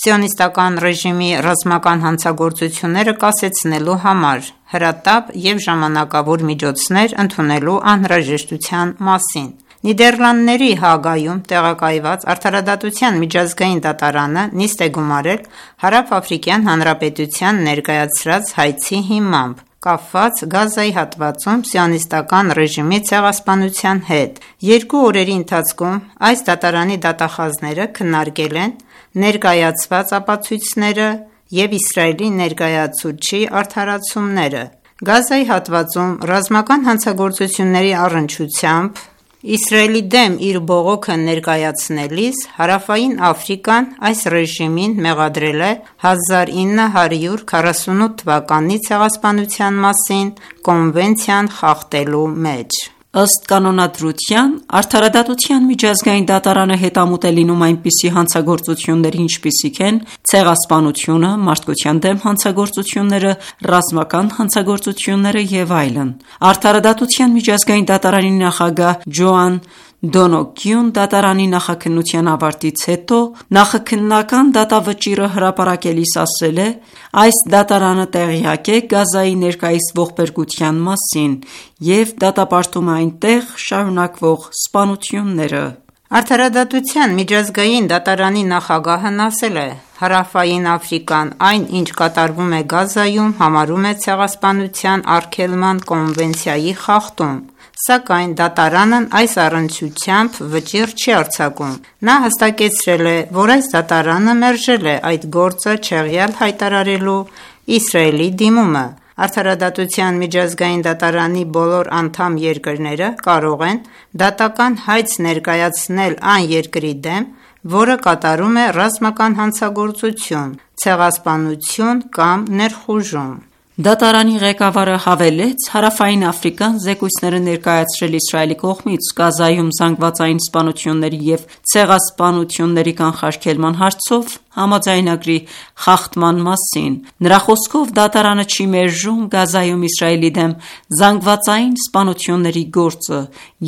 սիոնիստական ռեժիմի ռազմական հանցագործությունները կասեցնելու համար հրատապ եւ ժամանակավոր միջոցներ ընդունելու անհրաժեշտության մասին։ Նիդերլանդների Հաագայում տեղակայված արդարադատության միջազգային դատարանը նիստ է գումարել Հարավ-Աֆրիկյան Հանրապետության ներկայացրած հայցի հիմամբ կապված Գազայի հատվածում սիոնիստական ռեժիմի ցեղասպանության հետ։ Երկու օրերի ընթացքում այս դատարանի դատախազները քննարկել են ներկայացված ապացույցները եւ Իսրայելի ներկայացուցչի արդարացումները։ Գազայի հատվածում ռազմական հանցագործությունների առնչությամբ Իսրայելի դեմ իր բողոքը ներկայացնելիս Հարավային Աֆրիկան այս ռեժիմին մեղադրել է հազար ինը հարյուր քառասունութ թվականի ցեղասպանության մասին կոնվենցիան խախտելու մեջ։ Ըստ կանոնադրության, Արդարադատության միջազգային դատարանը հետամուտ է լինում այնպիսի հանցագործությունների, ինչպիսիք են ցեղասպանությունը, մարդկության դեմ հանցագործությունները, ռազմական հանցագործությունները և այլն։ Արդարադատության միջազգային դատարանի նախագահ Ջոան Դոնոգյուն դատարանի նախաքննության ավարտից հետո նախաքննական դատավճիռը հրապարակելիս ասել է. «Այս դատարանը տեղյակ է Գազայի ներկայիս ողբերգության մասին և դատապարտում է այնտեղ շարունակվող սպանությունները»։ Արդարադատության միջազգային դատարանի նախագահն ասել է. «Հարավային Աֆրիկան այն, ինչ կատարվում է Գազայում, համարում է ցեղասպանության արգելման կոնվենցիայի խախտում, սակայն դատարանն այս առնչությամբ վճիռ չի արձակում»։ Նա հստակեցրել է, որ այս դատարանը մերժել է այդ գործը չեղյալ հայտարարելու Իսրայելի դիմումը։ Արդարադատության միջազգային դատարանի բոլոր անդամ երկրները կարող են դատական հայց ներկայացնել այն երկրի դեմ, որը կատարում է ռազմական հանցագործություն, ցեղասպանություն կամ ներխուժում։ Դատարանի ղեկավարը հավելեց. «Հարավային Աֆրիկան զեկույցներ է ներկայացրել Իսրայելի կողմից Գազայում զանգվածային սպանությունների և ցեղասպանությունների կանխարգելման հարցով համաձայնագրի խախտման մասին։ Նրա խոսքով, դատարանը չի մերժում Գազայում Իսրայելի դեմ զանգվածային սպանությունների գործը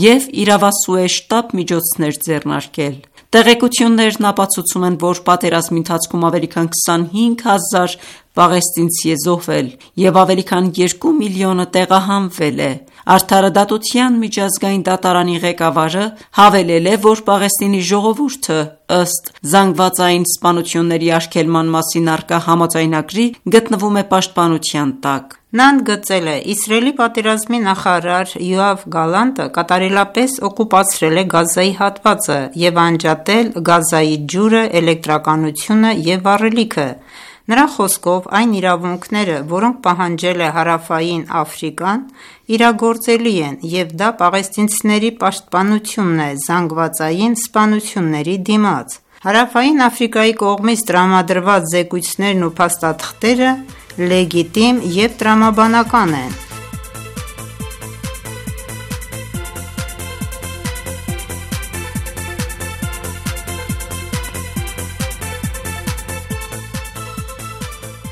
և իրավասու է շտապ միջոցներ ձեռնարկել»։ Տեղեկություններն ապացուցում են, որ պատերազմի ընթացքում ավելի քան քսանհինգ հազար պաղեստինցի է զոհվել և ավելի քան երկու միլիոնը տեղահանվել է։ Արդարադատության միջազգային դատարանի ղեկավարը հավելել է, որ Պաղեստինի ժողովուրդը, ըստ զանգվածային սպանությունների արգելման մասին առկա համաձայնագրի, գտնվում է պաշտպանության տակ։ Նա ընդգծել է. «Իսրայելի պատերազմի նախարար Յոավ Գալանտը կատարելապես օկուպացրել է Գազայի հատվածը և անջատել Գազայի ջուրը, էլեկտրականությունը և վառելիքը։ Նրա խոսքով, այն իրավունքները, որոնք պահանջել է Հարավային Աֆրիկան, իրագործելի են, և դա պաղեստինցիների պաշտպանությունն է զանգվածային սպանությունների դիմաց։ Հարավային Աֆրիկայի կողմից տրամադրված զեկույցներն ու փաստաթղթերը լեգիտիմ և տրամաբանական են»։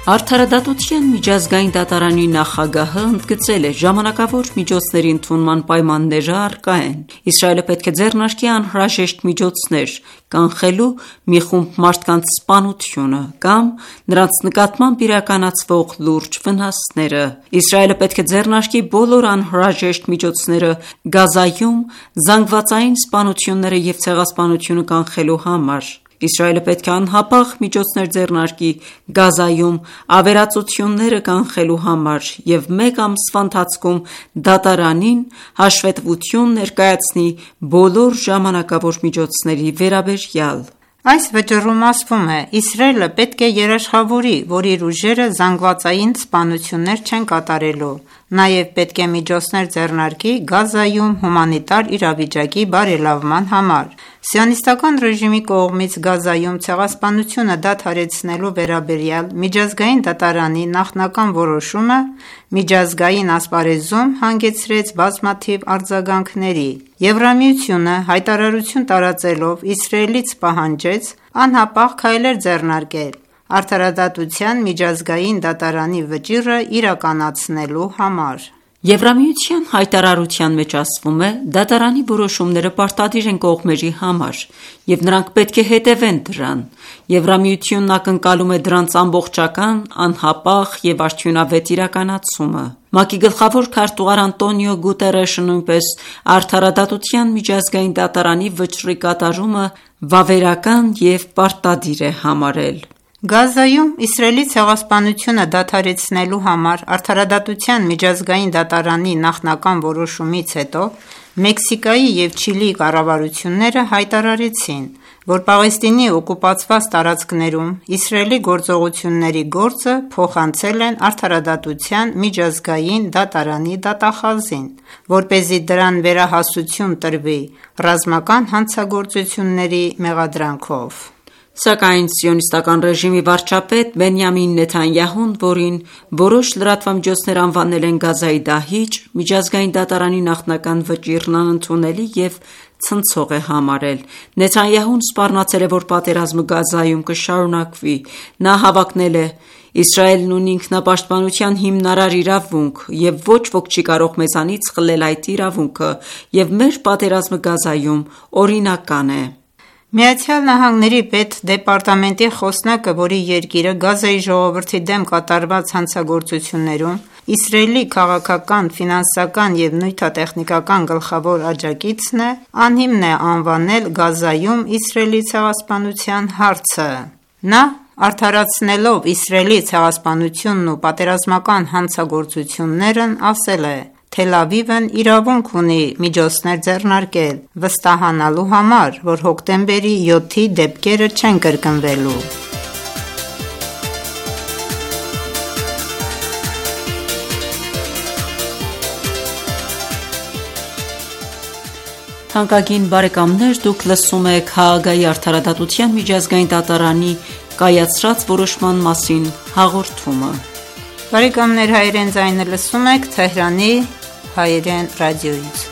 Արդարադատության միջազգային դատարանի նախագահը ընդգծել է. «Ժամանակավոր միջոցների ընդունման պայմանները առկա են։ Իսրայելը պետք է ձեռնարկի անհրաժեշտ միջոցներ՝ կանխելու մի խումբ մարդկանց սպանությունը կամ նրանց նկատմամբ իրականացվող լուրջ վնասները։ Իսրայելը պետք է ձեռնարկի բոլոր անհրաժեշտ միջոցները Գազայում զանգվածային սպանությունները և ցեղասպանությունը կանխելու համար։ Իսրայելը պետք է անհապաղ միջոցներ ձեռնարկի Գազայում ավերածությունները կանխելու համար և մեկ ամսվա ընթացքում դատարանին հաշվետվություն ներկայացնի բոլոր ժամանակավոր միջոցների վերաբերյալ»։ Այս վճռում ասվում է. «Իսրայելը պետք է երաշխավորի, որ իր ուժերը զանգվածային սպանություններ չեն կատարելու։ Նաև պետք է միջոցներ ձեռնարկի Գազայում հումանիտար իրավիճակի բարելավման համար։ Սիոնիստական ռեժիմի կողմից Գազայում ցեղասպանությունը դադարեցնելու վերաբերյալ միջազգային դատարանի նախնական որոշումը միջազգային ասպարեզում հանգեցրեց բազմաթիվ արձագանքների։ Եվրամիությունը հայտարարություն տարածելով Իսրայելից պահանջեց անհապաղ քայլեր ձեռնարկել Արդարադատության միջազգային դատարանի վճիռը իրականացնելու համար։ Եվրամիության հայտարարության մեջ ասվում է. «Դատարանի որոշումները պարտադիր են կողմերի համար, և նրանք պետք է հետևեն դրան։ Եվրամիությունն ակնկալում է դրանց ամբողջական, անհապաղ և արդյունավետ իրականացումը»։ ՄԱԿ-ի գլխավոր քարտուղար Անտոնիո Գուտերեշը նույնպես Արդարադատության միջազգային դատարանի վճռի կատարումը վավերական և պարտադիր է համարել։ Գազայում Իսրայելի ցեղասպանությունը դադարեցնելու համար Արդարադատության միջազգային դատարանի նախնական որոշումից հետո Մեքսիկայի և Չիլիի կառավարությունները հայտարարեցին, որ Պաղեստինի օկուպացված տարածքներում Իսրայելի գործողությունների գործը փոխանցել են Արդարադատության միջազգային դատարանի դատախազին, որպեսզի դրան վերահասություն տրվի ռազմական հանցագործությունների մեղադրանքով։ Սակայն սիոնիստական ռեժիմի վարչապետ Բենյամին Նեթանյահուն, որին որոշ լրատվամիջոցներ անվանել են Գազայի դահիճ, միջազգային դատարանի նախնական վճիռն անընդունելի և ցնցող է համարել։ Նեթանյահուն սպառնացել է, որ պատերազմը Գազայում կշարունակվի։ Նա հավակնել է. «Իսրայելն ունի ինքնապաշտպանության հիմնարար իրավունք, և ոչ ոք չի կարող մեզանից խլել այդ իրավունքը, և մեր պատերազմը Գազայում օրինական է»։ ԱՄՆ պետդեպարտամենտի խոսնակը, որի երկիրը Գազայի ժողովրդի դեմ կատարված հանցագործություններում Իսրայելի քաղաքական, ֆինանսական և նյութատեխնիկական գլխավոր աջակիցն է, անհիմն է անվանել Գազայում Իսրայելի ցեղասպանության հարցը։ Նա, արդարացնելով Իսրայելի ցեղասպանությունն ու պատերազմական հանցագործություններն, ասել է. «Թել Ավիվն իրավունք ունի միջոցներ ձեռնարկել վստահանալու համար, որ հոկտեմբերի յոթի դեպքերը չեն կրկնվելու»։ Թանկագին բարեկամներ, դուք լսում եք Հաագայի արդարադատության միջազգային դատարանի կայացրած որոշման մասին հաղորդումը։ Բարեկամներ, հայերեն ձայնը լսում եք Թեհրանի հայերեն ռադիոյից։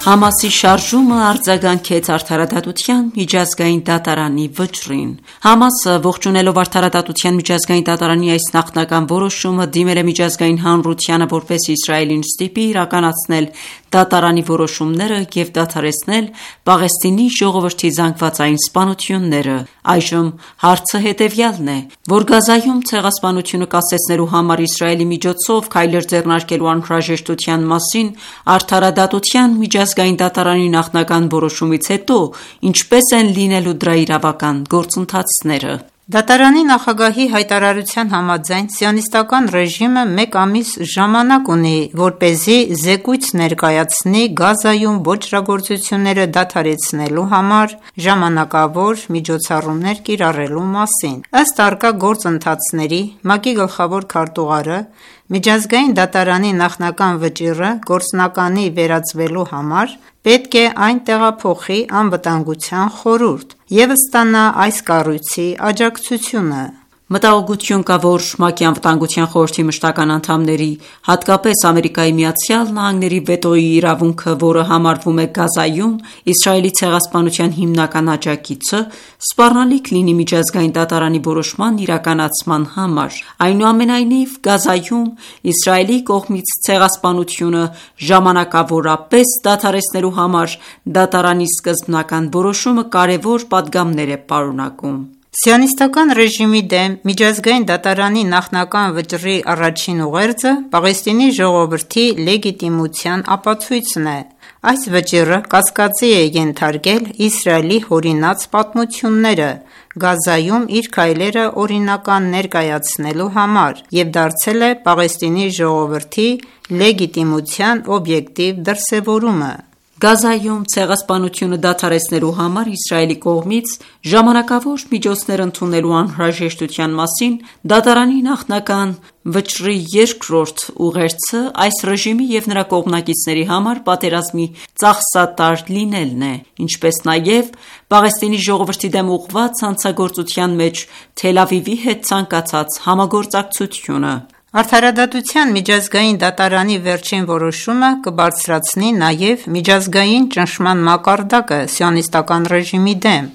Համասի շարժումը արձագանքեց Արդարադատության միջազգային դատարանի վճռին։ Համասը, ողջունելով Արդարադատության միջազգային դատարանի այս նախնական որոշումը, դիմել է միջազգային հանրությանը, որպեսզի Իսրայելին ստիպի իրականացնել դատարանի որոշումները և դադարեցնել Պաղեստինի ժողովրդի զանգվածային սպանությունները։ Այժմ հարցը հետևյալն է, որ Գազայում ցեղասպանությունը կասեցնելու համար Իսրայելի միջոցով քայլեր ձեռնարկելու անհրաժեշտության մասին Արդարադատության միջազգային դատարանի նախնական որոշումից հետո ինչպես են լինելու դրա իրավական գործընթացները։ Դատարանի նախագահի հայտարարության համաձայն սիոնիստական ռեժիմը մեկ ամիս ժամանակ ունի, որպեսզի զեկույց ներկայացնի Գազայում ոճրագործությունները դադարեցնելու համար ժամանակավոր միջոցառումներ կիրառելու մասին։ Ըստ առկա գործընթացների, ՄԱԿ-ի գլխավոր քարտուղարը միջազգային դատարանի նախնական վճիռը գործնականի վերածվելու համար պետք է այն տեղափոխի Անվտանգության խորհուրդ և ստանա այս կառույցի աջակցությունը։ Մտահոգություն կա, որ ՄԱԿ-ի Անվտանգության խորհրդի մշտական անդամների, հատկապես Ամերիկայի Միացյալ Նահանգների վետոյի իրավունքը, որը համարվում է Գազայում Իսրայելի ցեղասպանության հիմնական աջակիցը, սպառնալիք լինի միջազգային դատարանի որոշման իրականացման համար։ Այնուամենայնիվ, Գազայում Իսրայելի կողմից ցեղասպանությունը ժամանակավորապես դադարեցնելու համար դատարանի սկզբնական որոշումը կարևոր պատգամներ է պարունակում։ Սիոնիստական ռեժիմի դեմ միջազգային դատարանի նախնական վճռի առաջին ուղերձը Պաղեստինի ժողովրդի լեգիտիմության ապացույցն է։ Այս վճիռը կասկածի է ենթարկել Իսրայելի հորինած պատմությունները Գազայում իր քայլերը օրինական ներկայացնելու համար և դարձել է Պաղեստինի ժողովրդի լեգիտիմության օբյեկտիվ դրսևորումը։ Գազայում ցեղասպանությունը դադարեցնելու համար Իսրայելի կողմից ժամանակավոր միջոցներ ընդունելու անհրաժեշտության մասին դատարանի նախնական վճռի երկրորդ ուղերձը այս ռեժիմի և նրա կողմնակիցների համար պատերազմի ծախսատար լինելն է, ինչպես նաև Պաղեստինի ժողովրդի դեմ ուղղված հանցագործության մեջ Թել Ավիվի հետ ցանկացած համագործակցությունը։ Արդարադատության միջազգային դատարանի վերջին որոշումը կբարձրացնի նաև միջազգային ճնշման մակարդակը սիոնիստական ռեժիմի դեմ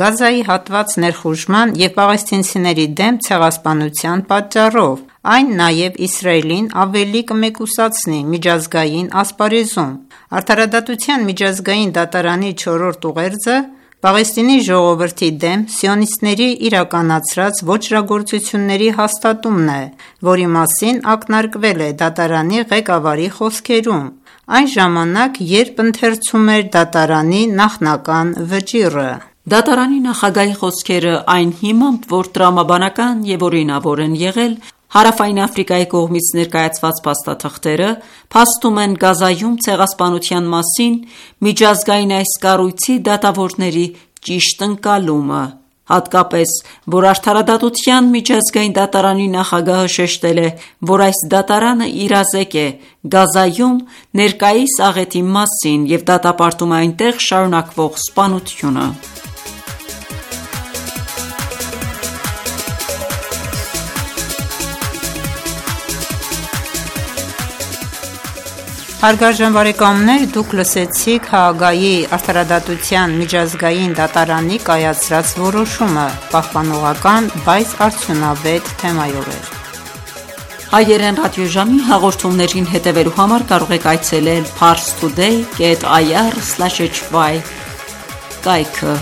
Գազայի հատված ներխուժման և պաղեստինցիների դեմ ցեղասպանության պատճառով։ Այն նաև Իսրայելին ավելի կմեկուսացնի միջազգային ասպարեզում։ Արդարադատության միջազգային դատարանի չորրորդ ուղերձը Պաղեստինի ժողովրդի դեմ սիոնիստների իրականացրած ոճրագործությունների հաստատումն է, որի մասին ակնարկվել է դատարանի ղեկավարի խոսքերում, այն ժամանակ, երբ ընթերցում էր դատարանի նախնական վճիռը։ Դատարանի նախագահի խոսքերը այն հիմամբ, որ տրամաբանական և օրինավոր են եղել, Հարավային Աֆրիկայի կողմից ներկայացված փաստաթղթերը փաստում են Գազայում ցեղասպանության մասին միջազգային այս կառույցի դատավորների ճիշտ ընկալումը, հատկապես, որ Արդարադատության միջազգային դատարանի նախագահը շեշտել է, որ այս դատարանը իրազեկ է Գազայում ներկայիս աղետի մասին և դատապարտում է այնտեղ շարունակվող սպանությունը։ Հարգարժան բարեկամներ, դուք լսեցիք Հաագայի Արդարադատության միջազգային դատարանի կայացրած որոշումը պահպանողական, բայց արդյունավետ թեմայով էր։ Հայերեն ռադիոժամի հաղորդումներին հետևելու համար կարող եք այցելել parstoday dot i r slash h y կայքը։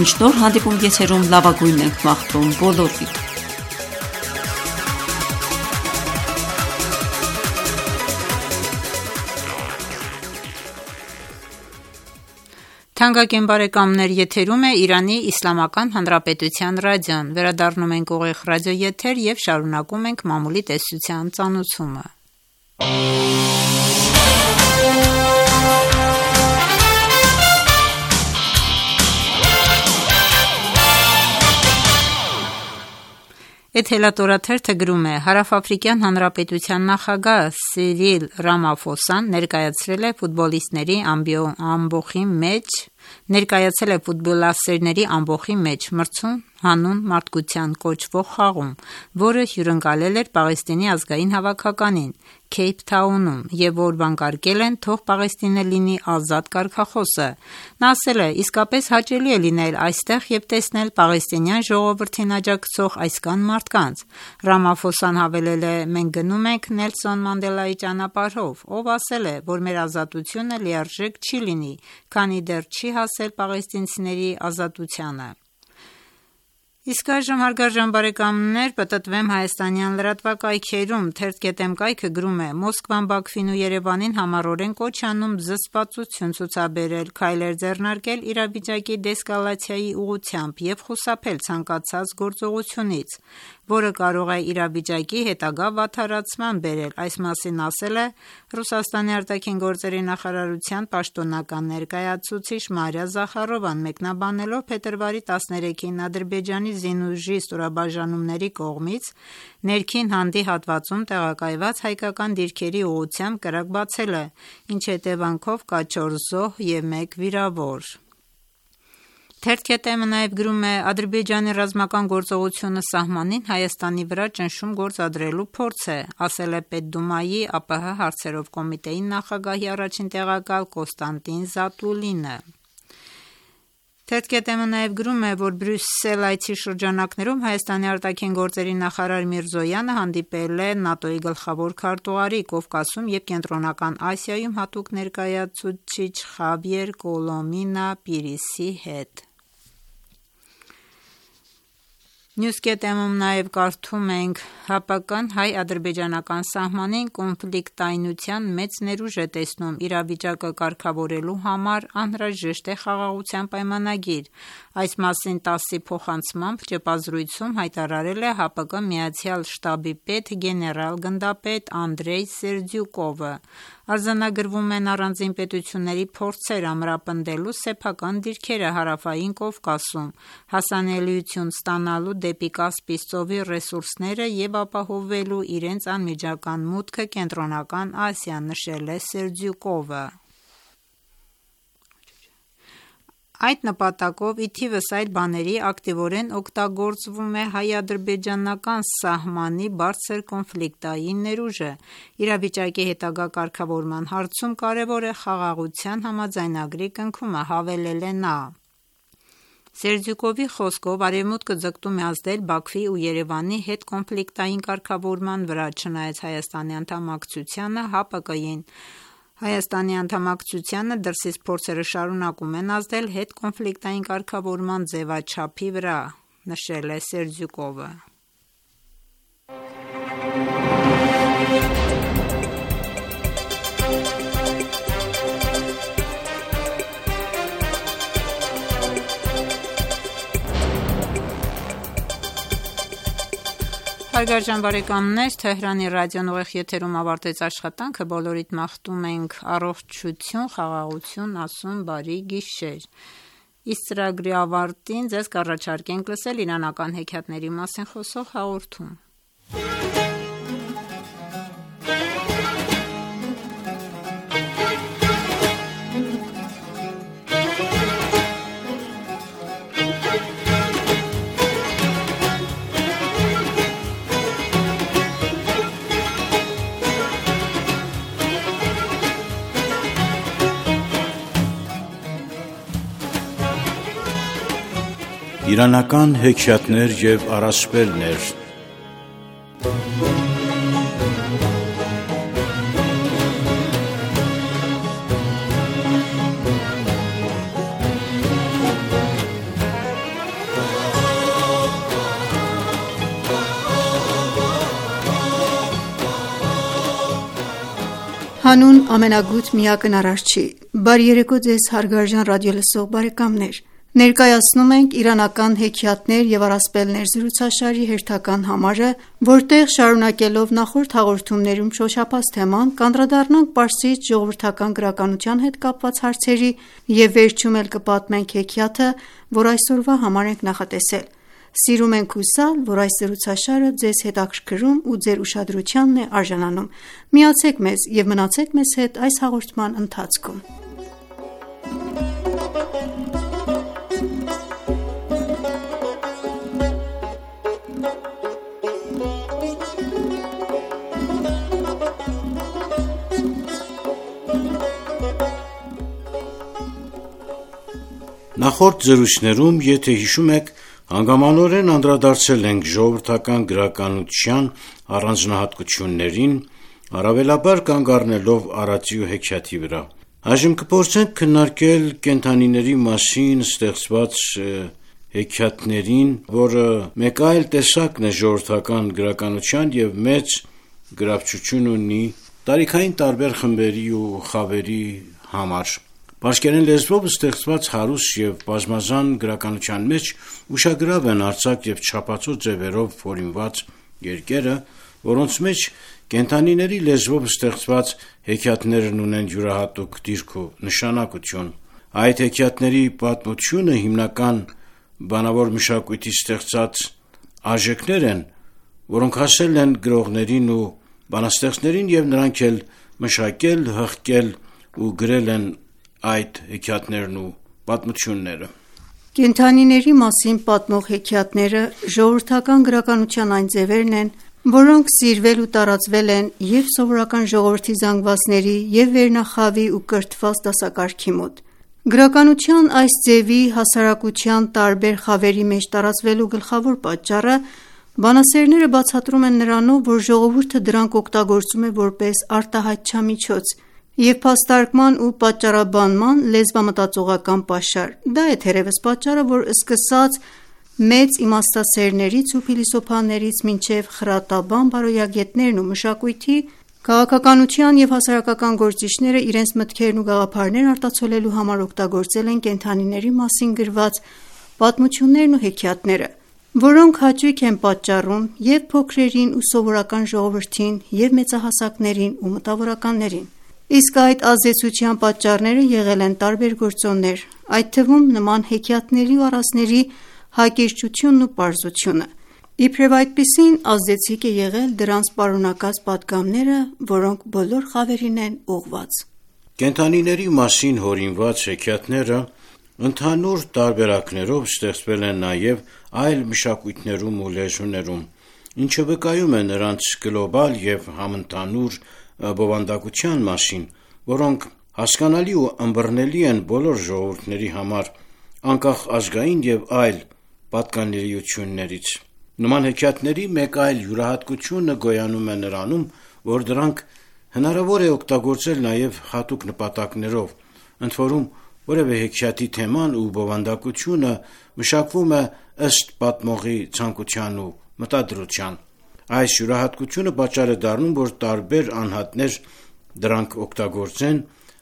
Մինչ նոր հանդիպում եթերում լավագույնն ենք մաղթում բոլորիդ։ Թանկագին բարեկամներ, եթերում է Իրանի Իսլամական Հանրապետության ռադիոն։ Վերադառնում ենք ուղիղ ռադիոեթեր և շարունակում ենք մամուլի տեսության ծանուցումը։ Էթելատորաթերթը գրում է. Հարավաֆրիկյան Հանրապետության նախագահ Սիրիլ Ռամաֆոսան ներկայացրել է ֆուտբոլիստների ամբոխի մեջ ներկայացել է ֆուտբոլասերների ամբոխի մեջ մրցում հանուն մարդկության կոչվող խաղում, որը հյուրընկալել էր Պաղեստինի ազգային հավաքականին Քեյփթաունում և որ վանկարկել են թող Պաղեստինը լինի ազատ կարգախոսը։ Նա ասել է. իսկապես հաճելի է լինել այստեղ և տեսնել պաղեստինյան ժողովրդին աջակցող այսքան մարդկանց։ Ռամաֆոսան հավելել է. մենք գնում ենք Նելսոն Մանդելայի ճանապարհով, ով ասել է, որ մեր ազատությունը լիարժեք չի լինի, քանի դեռ չի հասել պաղեստինցիների ազատությանը։ Իսկ այժմ հարգարժան բարեկամներ, պտտվեմ հայաստանյան լրատվակայքերում։ Թերթ.am կայքը գրում է. Մոսկվան Բաքվին ու Երևանին համառորեն կոչ անում զսպվածություն ցուցաբերել, քայլեր ձեռնարկել իրավիճակի դեսկալացիայի ուղղությամբ և խուսափել ցանկացած գործողությունից, որը կարող է իրավիճակի հետագա վատթարացման բերել։ Այս մասին ասել է Ռուսաստանի արտաքին գործերի նախարարության պաշտոնական ներկայացուցիչ Մարիա Զախարովան, մեկնաբանելով փետրվարի տասներեքին Ադրբեջանի զինուժի ստորաբաժանումների կողմից ներքին հանդի հատվածում տեղակայված հայկական դիրքերի ուղղությամբ կրակ բացելը, ինչի հետևանքով կա չորս զոհ և մեկ վիրավոր։ Թերթ.am-ը նաև գրում է. Ադրբեջանի ռազմական գործողությունը սահմանին Հայաստանի վրա ճնշում գործադրելու փորձ է, ասել է Պետդումայի ԱՊՀ հարցերով կոմիտեի նախագահի առաջին տեղակալ Կոստանտին Զատուլինը։ Թերթ.am-ը նաև գրում է, որ Բրյուսել այցի շրջանակներում Հայաստանի արտաքին գործերի նախարար Միրզոյանը հանդիպել է ՆԱՏՕ-ի գլխավոր քարտուղարի, Կովկասում և Կենտրոնական Ասիայում հատուկ ներկայացուցիչ Խավիեր Կոլոմինա Պիրիսի հետ։ News.am-ում նաև կարդում ենք. ՀԱՊԿ-ն հայ-ադրբեջանական սահմանին կոնֆլիկտայնության մեծ ներուժ է տեսնում, իրավիճակը կարգավորելու համար անհրաժեշտ է խաղաղության պայմանագիր։ Այս մասին տասի փոխանցմամբ ճեպազրույցում հայտարարել է ՀԱՊԿ Միացյալ շտաբի պետ գեներալ-գնդապետ Անդրեյ Սերդյուկովը։ Արձանագրվում են առանձին պետությունների փորձեր ամրապնդելու սեփական դիրքերը Հարավային Կովկասում, հասանելիություն ստանալու դեպի Կասպից ծովի ռեսուրսները և ապահովելու իրենց անմիջական մուտքը Կենտրոնական Ասիա, նշել է Սերդյուկովը։ Այդ նպատակով ի թիվս այլ բաների ակտիվորեն օգտագործվում է հայ-ադրբեջանական սահմանի բարձր կոնֆլիկտային ներուժը։ Իրավիճակի հետագա կարգավորման հարցում կարևոր է խաղաղության համաձայնագրի կնքումը, հավելել է նա։ Սերդյուկովի խոսքով Արևմուտքը ձգտում է ազդել Բաքվի ու Երևանի հետ կոնֆլիկտային կարգավորման վրա, չնայած Հայաստանի անդամակցությանը ՀԱՊԿ-ին։ Հայաստանի անդամակցությանը դրսից փորձերը շարունակում են ազդել հետկոնֆլիկտային կարգավորման ձևաչափի վրա, նշել է Սերդյուկովը։ Հարգարժան բարեկամներ, Թեհրանի ռադիոն ուղիղ եթերում ավարտեց աշխատանքը, բոլորիդ մաղթում ենք առողջություն, խաղաղություն, ասում բարի գիշեր։ Իսկ ծրագրի ավարտին ձեզ կառաջարկենք լսել իրանական հեքիաթների մասին խոսող հաղորդում։ Իրանական հեքիաթներ և առասպելներ։ Հանուն ամենագութ միակն Արարչի։ Բարի երեկո ձեզ հարգարժան ռադիոլսող բարեկամներ։ Ներկայացնում ենք իրանական հեքիաթներ և առասպելներ զրուցաշարի հերթական համարը, որտեղ շարունակելով նախորդ հաղորդումներում շոշափած թեման, կանդրադառնանք պարսից ժողովրդական գրականության հետ կապված հարցերի և վերջում էլ կպատմենք հեքիաթը, որ այսօրվա համար ենք նախատեսել։ Սիրում ենք հուսալ, որ այս զրուցաշարը ձեզ հետաքրքրում ու ձեր ուշադրությանն է արժանանում։ Միացեք մեզ և մնացեք մեզ հետ այս հաղորդման ընթացքում։ Նախորդ զրույցներում, եթե հիշում եք, հանգամանորեն անդրադարձել ենք ժողովրդական գրականության առանձնահատկություններին, առավելաբար կանգ առնելով Արարծի ու հեքիաթի վրա։ Այժմ կփորձենք քննարկել կենդանիների մասին ստեղծված հեքիաթներին, որը մեկ այլ տեսակն է ժողովրդական գրականության և մեծ գրավչություն ունի տարիքային տարբեր խմբերի ու խավերի համար։ Պարսկերեն լեզվով ստեղծված հարուստ և բազմազան գրականության մեջ ուշագրավ են արձակ և չափածո ձևերով հորինված երկերը, որոնց մեջ կենդանիների լեզվով ստեղծված հեքիաթներն ունեն յուրահատուկ դիրք ու նշանակություն։ Այդ հեքիաթների պատմությունը հիմնական բանավոր մշակույթից ստեղծած արժեքներ են, որոնք հասել են գրողներին ու բանաստեղծներին և նրանք էլ մշակել, հղկել ու գրել են այդ հեքիաթներն ու պատմությունները։ Կենդանիների մասին պատմող հեքիաթները ժողովրդական գրականության այն ձևերն են, որոնք սիրվել ու տարածվել են և սովորական ժողովրդի զանգվածների և վերնախավի ու կրթված դասակարգի մոտ։ Գրականության այս ձևի հասարակության տարբեր խավերի մեջ տարածվելու գլխավոր պատճառը բանասերները բացատրում են նրանով, որ ժողովուրդը դրանք օգտագործում է որպես արտահայտչա միջոց և փաստարկման ու պատճառաբանման լեզվամտածողական պաշար։ Դա է թերևս պատճառը, որ սկսած մեծ իմաստասերներից ու փիլիսոփաներից մինչև խրատաբան բարոյագետներն ու մշակույթի, քաղաքականության և հասարակական գործիչները իրենց մտքերն ու գաղափարներն արտացոլելու համար օգտագործել են կենդանիների մասին գրված պատմություններն ու հեքիաթները, որոնք հաճույք են պատճառում և փոքրերին ու սովորական ժողովրդին, և մեծահասակներին ու մտավորականներին։ Իսկ այդ ազդեցության պատճառները եղել են տարբեր գործոններ, այդ թվում նման հեքիաթների ու առասպելների հակիրճությունն ու պարզությունը։ Իբրև այդպիսին ազդեցիկ է եղել դրանց պարունակած պատգամները, որոնք բոլոր խավերին են ուղղված։ Կենդանիների մասին հորինված հեքիաթները ընդհանուր տարբերակներով ստեղծվել են նաև այլ մշակույթներում ու լեզուներում, ինչը վկայում է նրանց գլոբալ և համընդհանուր բովանդակության մասին, որոնք հասկանալի ու ըմբռնելի են բոլոր ժողովուրդների համար, անկախ ազգային և այլ պատկանելիություններից։ Նման հեքիաթների մեկ այլ յուրահատկությունը գոյանում է նրանում, որ դրանք հնարավոր է օգտագործել նաև հատուկ նպատակներով, ընդորում որևէ հեքիաթի թեման ու բովանդակությունը մշակվում է ըստ պատմողի ցանկության ու մտադրության։ Այս յուրահատկությունը պատճառ է դառնում, որ տարբեր անհատներ դրանք օգտագործեն,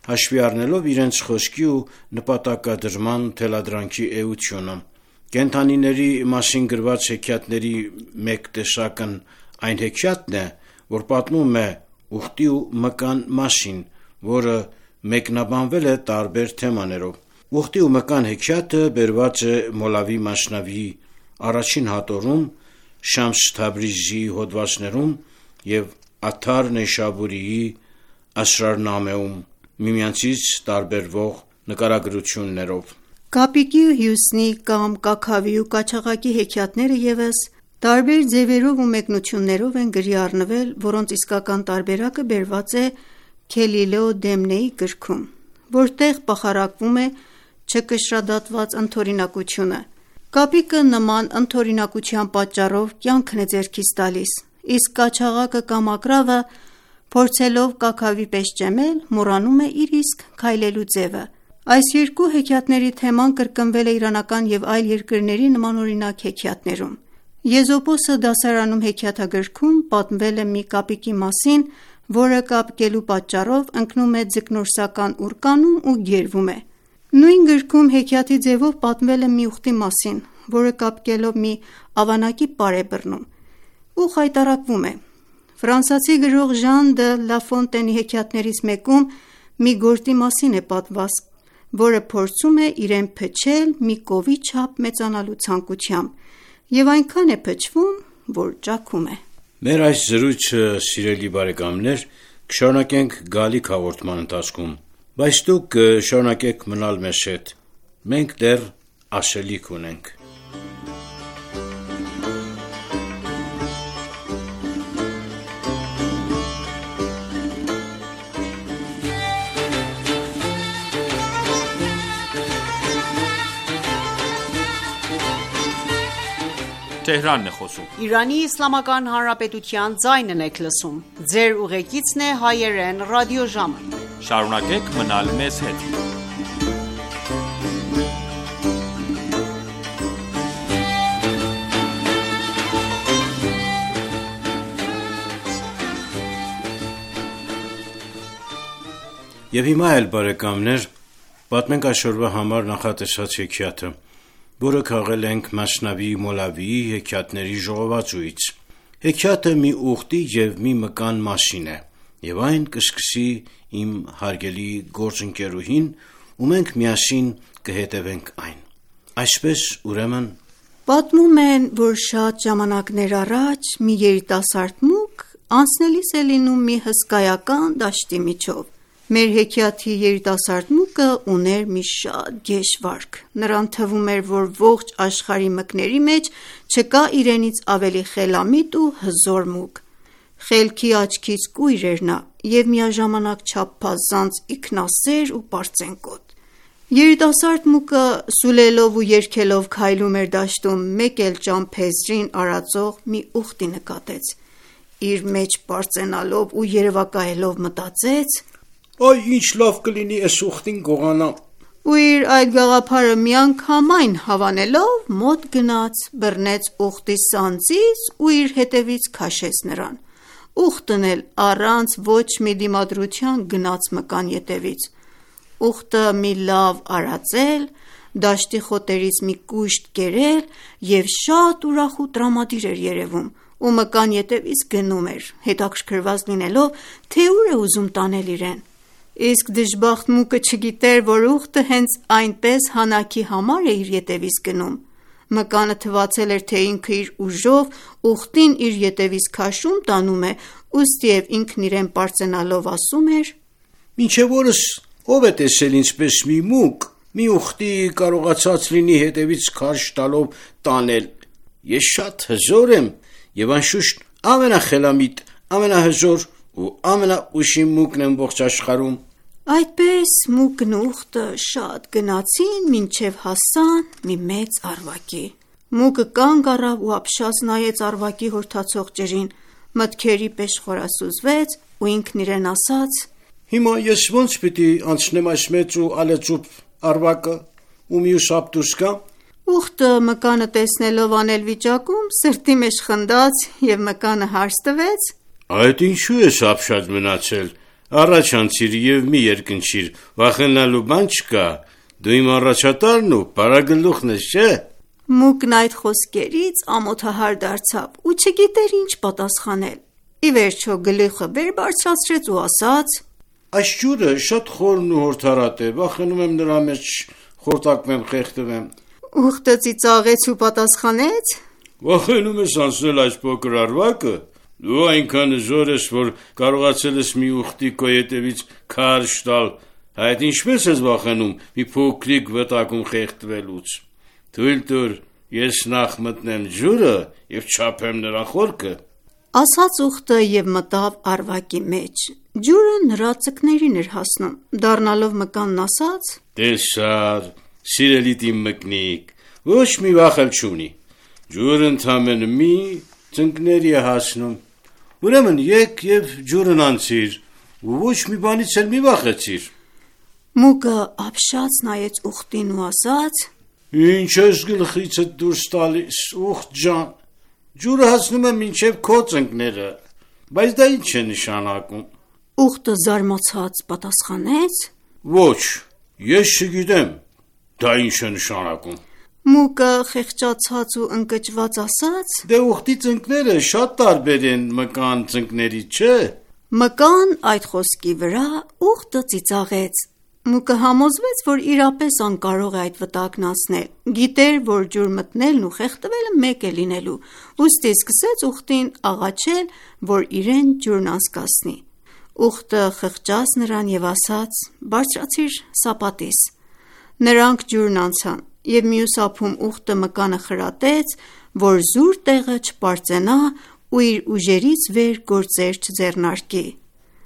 հաշվի առնելով իրենց խոսքի ու նպատակադրման թելադրանքի էությունը։ Կենդանիների մասին գրված հեքիաթների մեկ տեսակն Այն հեքիաթն է, որ պատմում է ուխտի ու մկան մասին, որը մեկնաբանվել է տարբեր թեմաներով։ Ուխտի ու մկան հեքիաթը բերված է Մոլավի Մասնավիի առաջին հատորում, Շամս Թաբրիզիի հոդվածներում և Աթար Նեյշաբուրիի Ասրարնամեում միմյանցից տարբերվող նկարագրություններով։ Կապիկի ու Հյուսնի կամ Կաքավի ու Կաչաղակի հեքիաթները ևս տարբեր ձևերով ու մեկնություններով են գրի առնվել, որոնց իսկական տարբերակը բերված է Քելիլե Դեմնեի գրքում, որտեղ բախարակվում է չկշռադատված ընդօրինակությունը։ Կապիկը նման ընդօրինակության պատճառով կյանքն է ձեռքից տալիս, իսկ Կաչաղակը կամ Ակրավը, փորձելով Կաքավի պես ճեմել, մոռանում է իր իսկ քայլելու ձևը։ Այս երկու հեքիաթների թեման կրկնվել է իրանական և այլ երկրների նմանօրինակ հեքիաթներում։ Եզոպոսը դասարանում հեքիաթագրքում պատմվել է մի կապիկի մասին, որը կապկելու պատճառով ընկնում է ձկնորսական ուռկանում ու գերվում է։ Նույն գրքում հեքիաթի ձևով պատմվել է մի ուխտի մասին, որը կապկելով մի ավանակի պար է բռնում ու խայտառակվում է։ Ֆրանսիացի գրող Ժան դը Լաֆոնտենի հեքիաթներից մեկում մի գորտի մասին է պատմված, որը փորձում է իրեն փչել մի կովի չափ մեծանալու ցանկությամբ և այնքան է փչվում, որ ճաքում է։ Մեր այս զրույցը, սիրելի բարեկամներ, կշարունակենք գալիք հաղորդման ընթացքում, բայց դուք շարունակեք մնալ մեզ հետ, մենք դեռ ասելիք ունենք։ Թեհրանն է խոսում։ Իրանի Իսլամական Հանրապետության ձայնն եք լսում։ Ձեր ուղեկիցն է հայերեն ռադիոժամը։ Շարունակեք մնալ մեզ հետ։ Եվ հիմա էլ բարեկամներ, պատմենք այսօրվա համար նախատեսած հեքիաթը, որը քաղել ենք Մասնավի Մոլավիի հեքիաթների ժողովածուից։ Հեքիաթը մի ուխտի և մի մկան մասին է, և այն կսկսի իմ հարգելի գործընկերուհին, ու մենք միասին կհետևենք այն։ Այսպես, ուրեմն, պատմում են, որ շատ ժամանակներ առաջ մի երիտասարդ մուկ անցնելիս է լինում մի հսկայական դաշտի միջով։ Մեր հեքիաթի երիտասարդ մուկը ուներ մի շատ գեշ վարք։ Նրան թվում էր, որ ողջ աշխարհի մկների մեջ չկա իրենից ավելի խելամիտ ու հզոր մուկ։ Խելքի աչքից կույր էր նա և միաժամանակ չափազանց ինքնասեր ու պարծենկոտ։ Երիտասարդ մուկը սուլելով ու երգելով քայլում էր դաշտում, մեկ էլ ճամփեզրին արածող մի ուխտի նկատեց։ Իր մեջ պարծենալով ու երևակայելով մտածեց. «Այ ինչ լավ կլինի էս ուխտին գողանամ»։ Ու իր այդ գաղափարը միանգամայն հավանելով մոտ գնաց, բռնեց ուխտի սանձից ու իր հետևից քաշեց նրան։ Ուխտն էլ առանց ոչ մի դիմադրության գնաց մկան ետևից։ Ուխտը մի լավ արածել, դաշտի խոտերից մի կուշտ կերել և շատ ուրախ ու տրամադիր էր երևում, ու մկան ետևից գնում էր, հետաքրքրված լինելով, թե ուր է ուզում տանել իրեն։ Իսկ դժբախտ մուկը չգիտեր, որ ուխտը հենց այնպես հանակի համար է իր ետևից գնում։ Մկանը թվացել էր, թե ինքը իր ուժով ուխտին իր ետևից քաշում տանում է, ուստիև ինքն իրեն պարծենալով ասում էր. «Մինչև օրս ով է տեսել ինչպես մի մուկ մի ուխտի կարողացած լինի հետևից քաշ տալով տանել։ Ես շատ հզոր եմ և անշուշտ ամենախելամիտ, ամենահզոր ու ամենաուշիմ մուկն եմ ողջ աշխարհում»։ Այդպես մուկն ու ուխտը շատ գնացին, մինչև հասան մի մեծ առվակի։ Մուկը կանգ առավ ու ապշած նայեց առվակի հորթացող ջրին, մտքերի պես խորասուզվեց ու ինքն իրեն ասաց. «Հիմա ես ո՞նց պիտի անցնեմ այս մեծ ու ալեծուփ առվակը ու մյուս ափ դուրս գամ»։ Ուխտը մկանը տեսնելով անելվիճակում սրտի մեջ խնդաց և մկանը հարց տվեց. «Այդ ինչու ես ապշած մնացել, առաջ անցիր և մի երկնչիր, վախենալու բան չկա, դու իմ առաջատարն ու բարագլուխն ես, չէ»։ Մուկն այդ խոսքերից ամոթահար դարձավ ու չգիտեր ինչ պատասխանել։ Ի վերջո գլուխը վեր բարձրացրեց ու ասաց. Այս ջուրը շատ խորն ու հորդառատ է, վախենում եմ նրա մեջ խորտակվեմ, խեղդվեմ։ Ուղտը ծիծաղեց ու պատասխանեց. Վախենում ես անցնել այս փոքր արվակը։ Դու այնքան զոր ես, որ կարողացել ես մի ուխտի քո ետևից քարշ տալ, այդ ինչպես ես վախենում մի փոքրիկ վտակում խեղդվելուց։ Թույլ տուր, ես նախ մտնեմ ջուրը եւ չափեմ նրա խորքը։ Ասաց ուխտը եւ մտավ արվակի մեջ։ Ջուրը նրա ծկներին էր հասնում։ Դառնալով մկանն ասաց. Տեսար, սիրելի իմ մկնիկ, ոչ մի վախ չունի։ Ջուրը ընդամենը մի ծնկների է հասնում։ Ուրեմն եկ եւ ջուրն անցիր, ու ոչ մի բանից էլ մի վախեցիր։ Մուկը ապշած նայեց ուխտին ու ասաց. Ինչ ես գլխիցդ դուրս տալիս, ուխտ ջան։ Ջուրը հասնում է մինչև քո ծնկները, բայց դա ինչ է նշանակում։ Ուխտը զարմացած պատասխանեց. Ոչ, ես չգիտեմ, դա ինչ է նշանակում։ Մուկը խեղճացած ու ընկճված ասաց. Դե ուխտի ծնկները շատ տարբեր են մկան ծնկներից, չէ։ Մկան այդ խոսքի վրա ուխտը ծիծաղեց։ Մուկը համոզվեց, որ իրապես անկարող է այդ վտակն անցնել։ Գիտեր, որ ջուր մտնելն ու խեղդվելը մեկ է լինելու, ուստի սկսեց ուխտին աղաչել, որ իրեն ջուրն անցկացնի։ Ուխտը խղճաց նրան եւ ասաց. Բարձրացիր սապատիս։ Նրանք ջուրն անցան եւ մյուս ափում ուխտը մկանը խրատեց, որ զուր տեղը չպարծենա ու իր ուժերից վեր գործեր չձեռնարկի։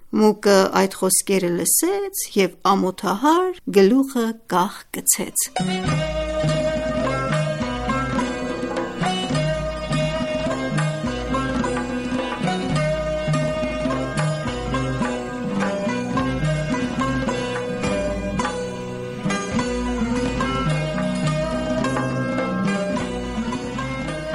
Մուկը այդ խոսքերը լսեց եւ ամոթահար գլուխը կախ գցեց։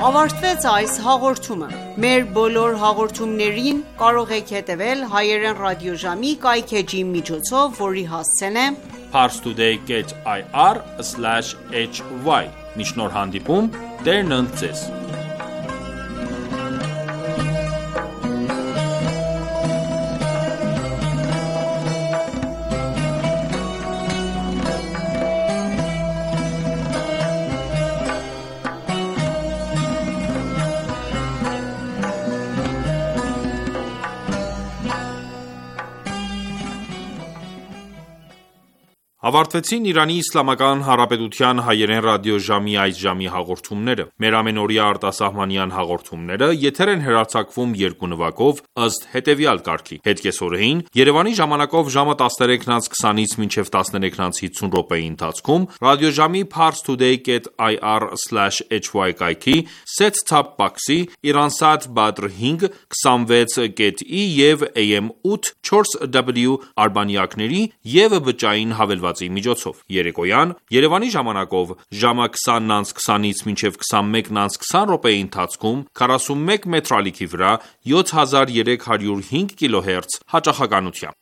Ավարտվեց այս հաղորդումը։ Մեր բոլոր հաղորդումներին կարող եք հետևել հայերեն ռադիոժամի կայքէջի միջոցով, որի հասցեն է parstoday dot i r slash h y։ Մինչ նոր հանդիպում, Տերն ընդ ձեզ։ Ավարտվեցին Իրանի Իսլամական Հանրապետության հայերեն ռադիոժամի այս ժամի հաղորդումները։ Մեր ամենօրյա արտասահմանյան հաղորդումները եթեր են հեռարձակվում երկու նվագով ըստ հետևյալ կարգի. Հետկեսօրեին Երևանի ժամանակով ժամը տասներեքն անց քսանից մինչև տասներեքն անց հիսուն րոպեի ընթացքում ռադիոժամի parstoday dot i r slash h y կայքի set-top box-ի Iransat Badr հինգ քսանվեց dot i եւ A M ութ չորս W արբանյակների եւ բջջային հավելվածի միջոցով։ Երեկոյան Երևանի ժամանակով ժամը քսանն անց քսանից մինչև քսանմեկն անց քսան րոպեի ընթացքում քառասունմեկ մետր ալիքի վրա յոթ հազար երեք հարյուր հինգ կիլոհերց հաճախականությամբ։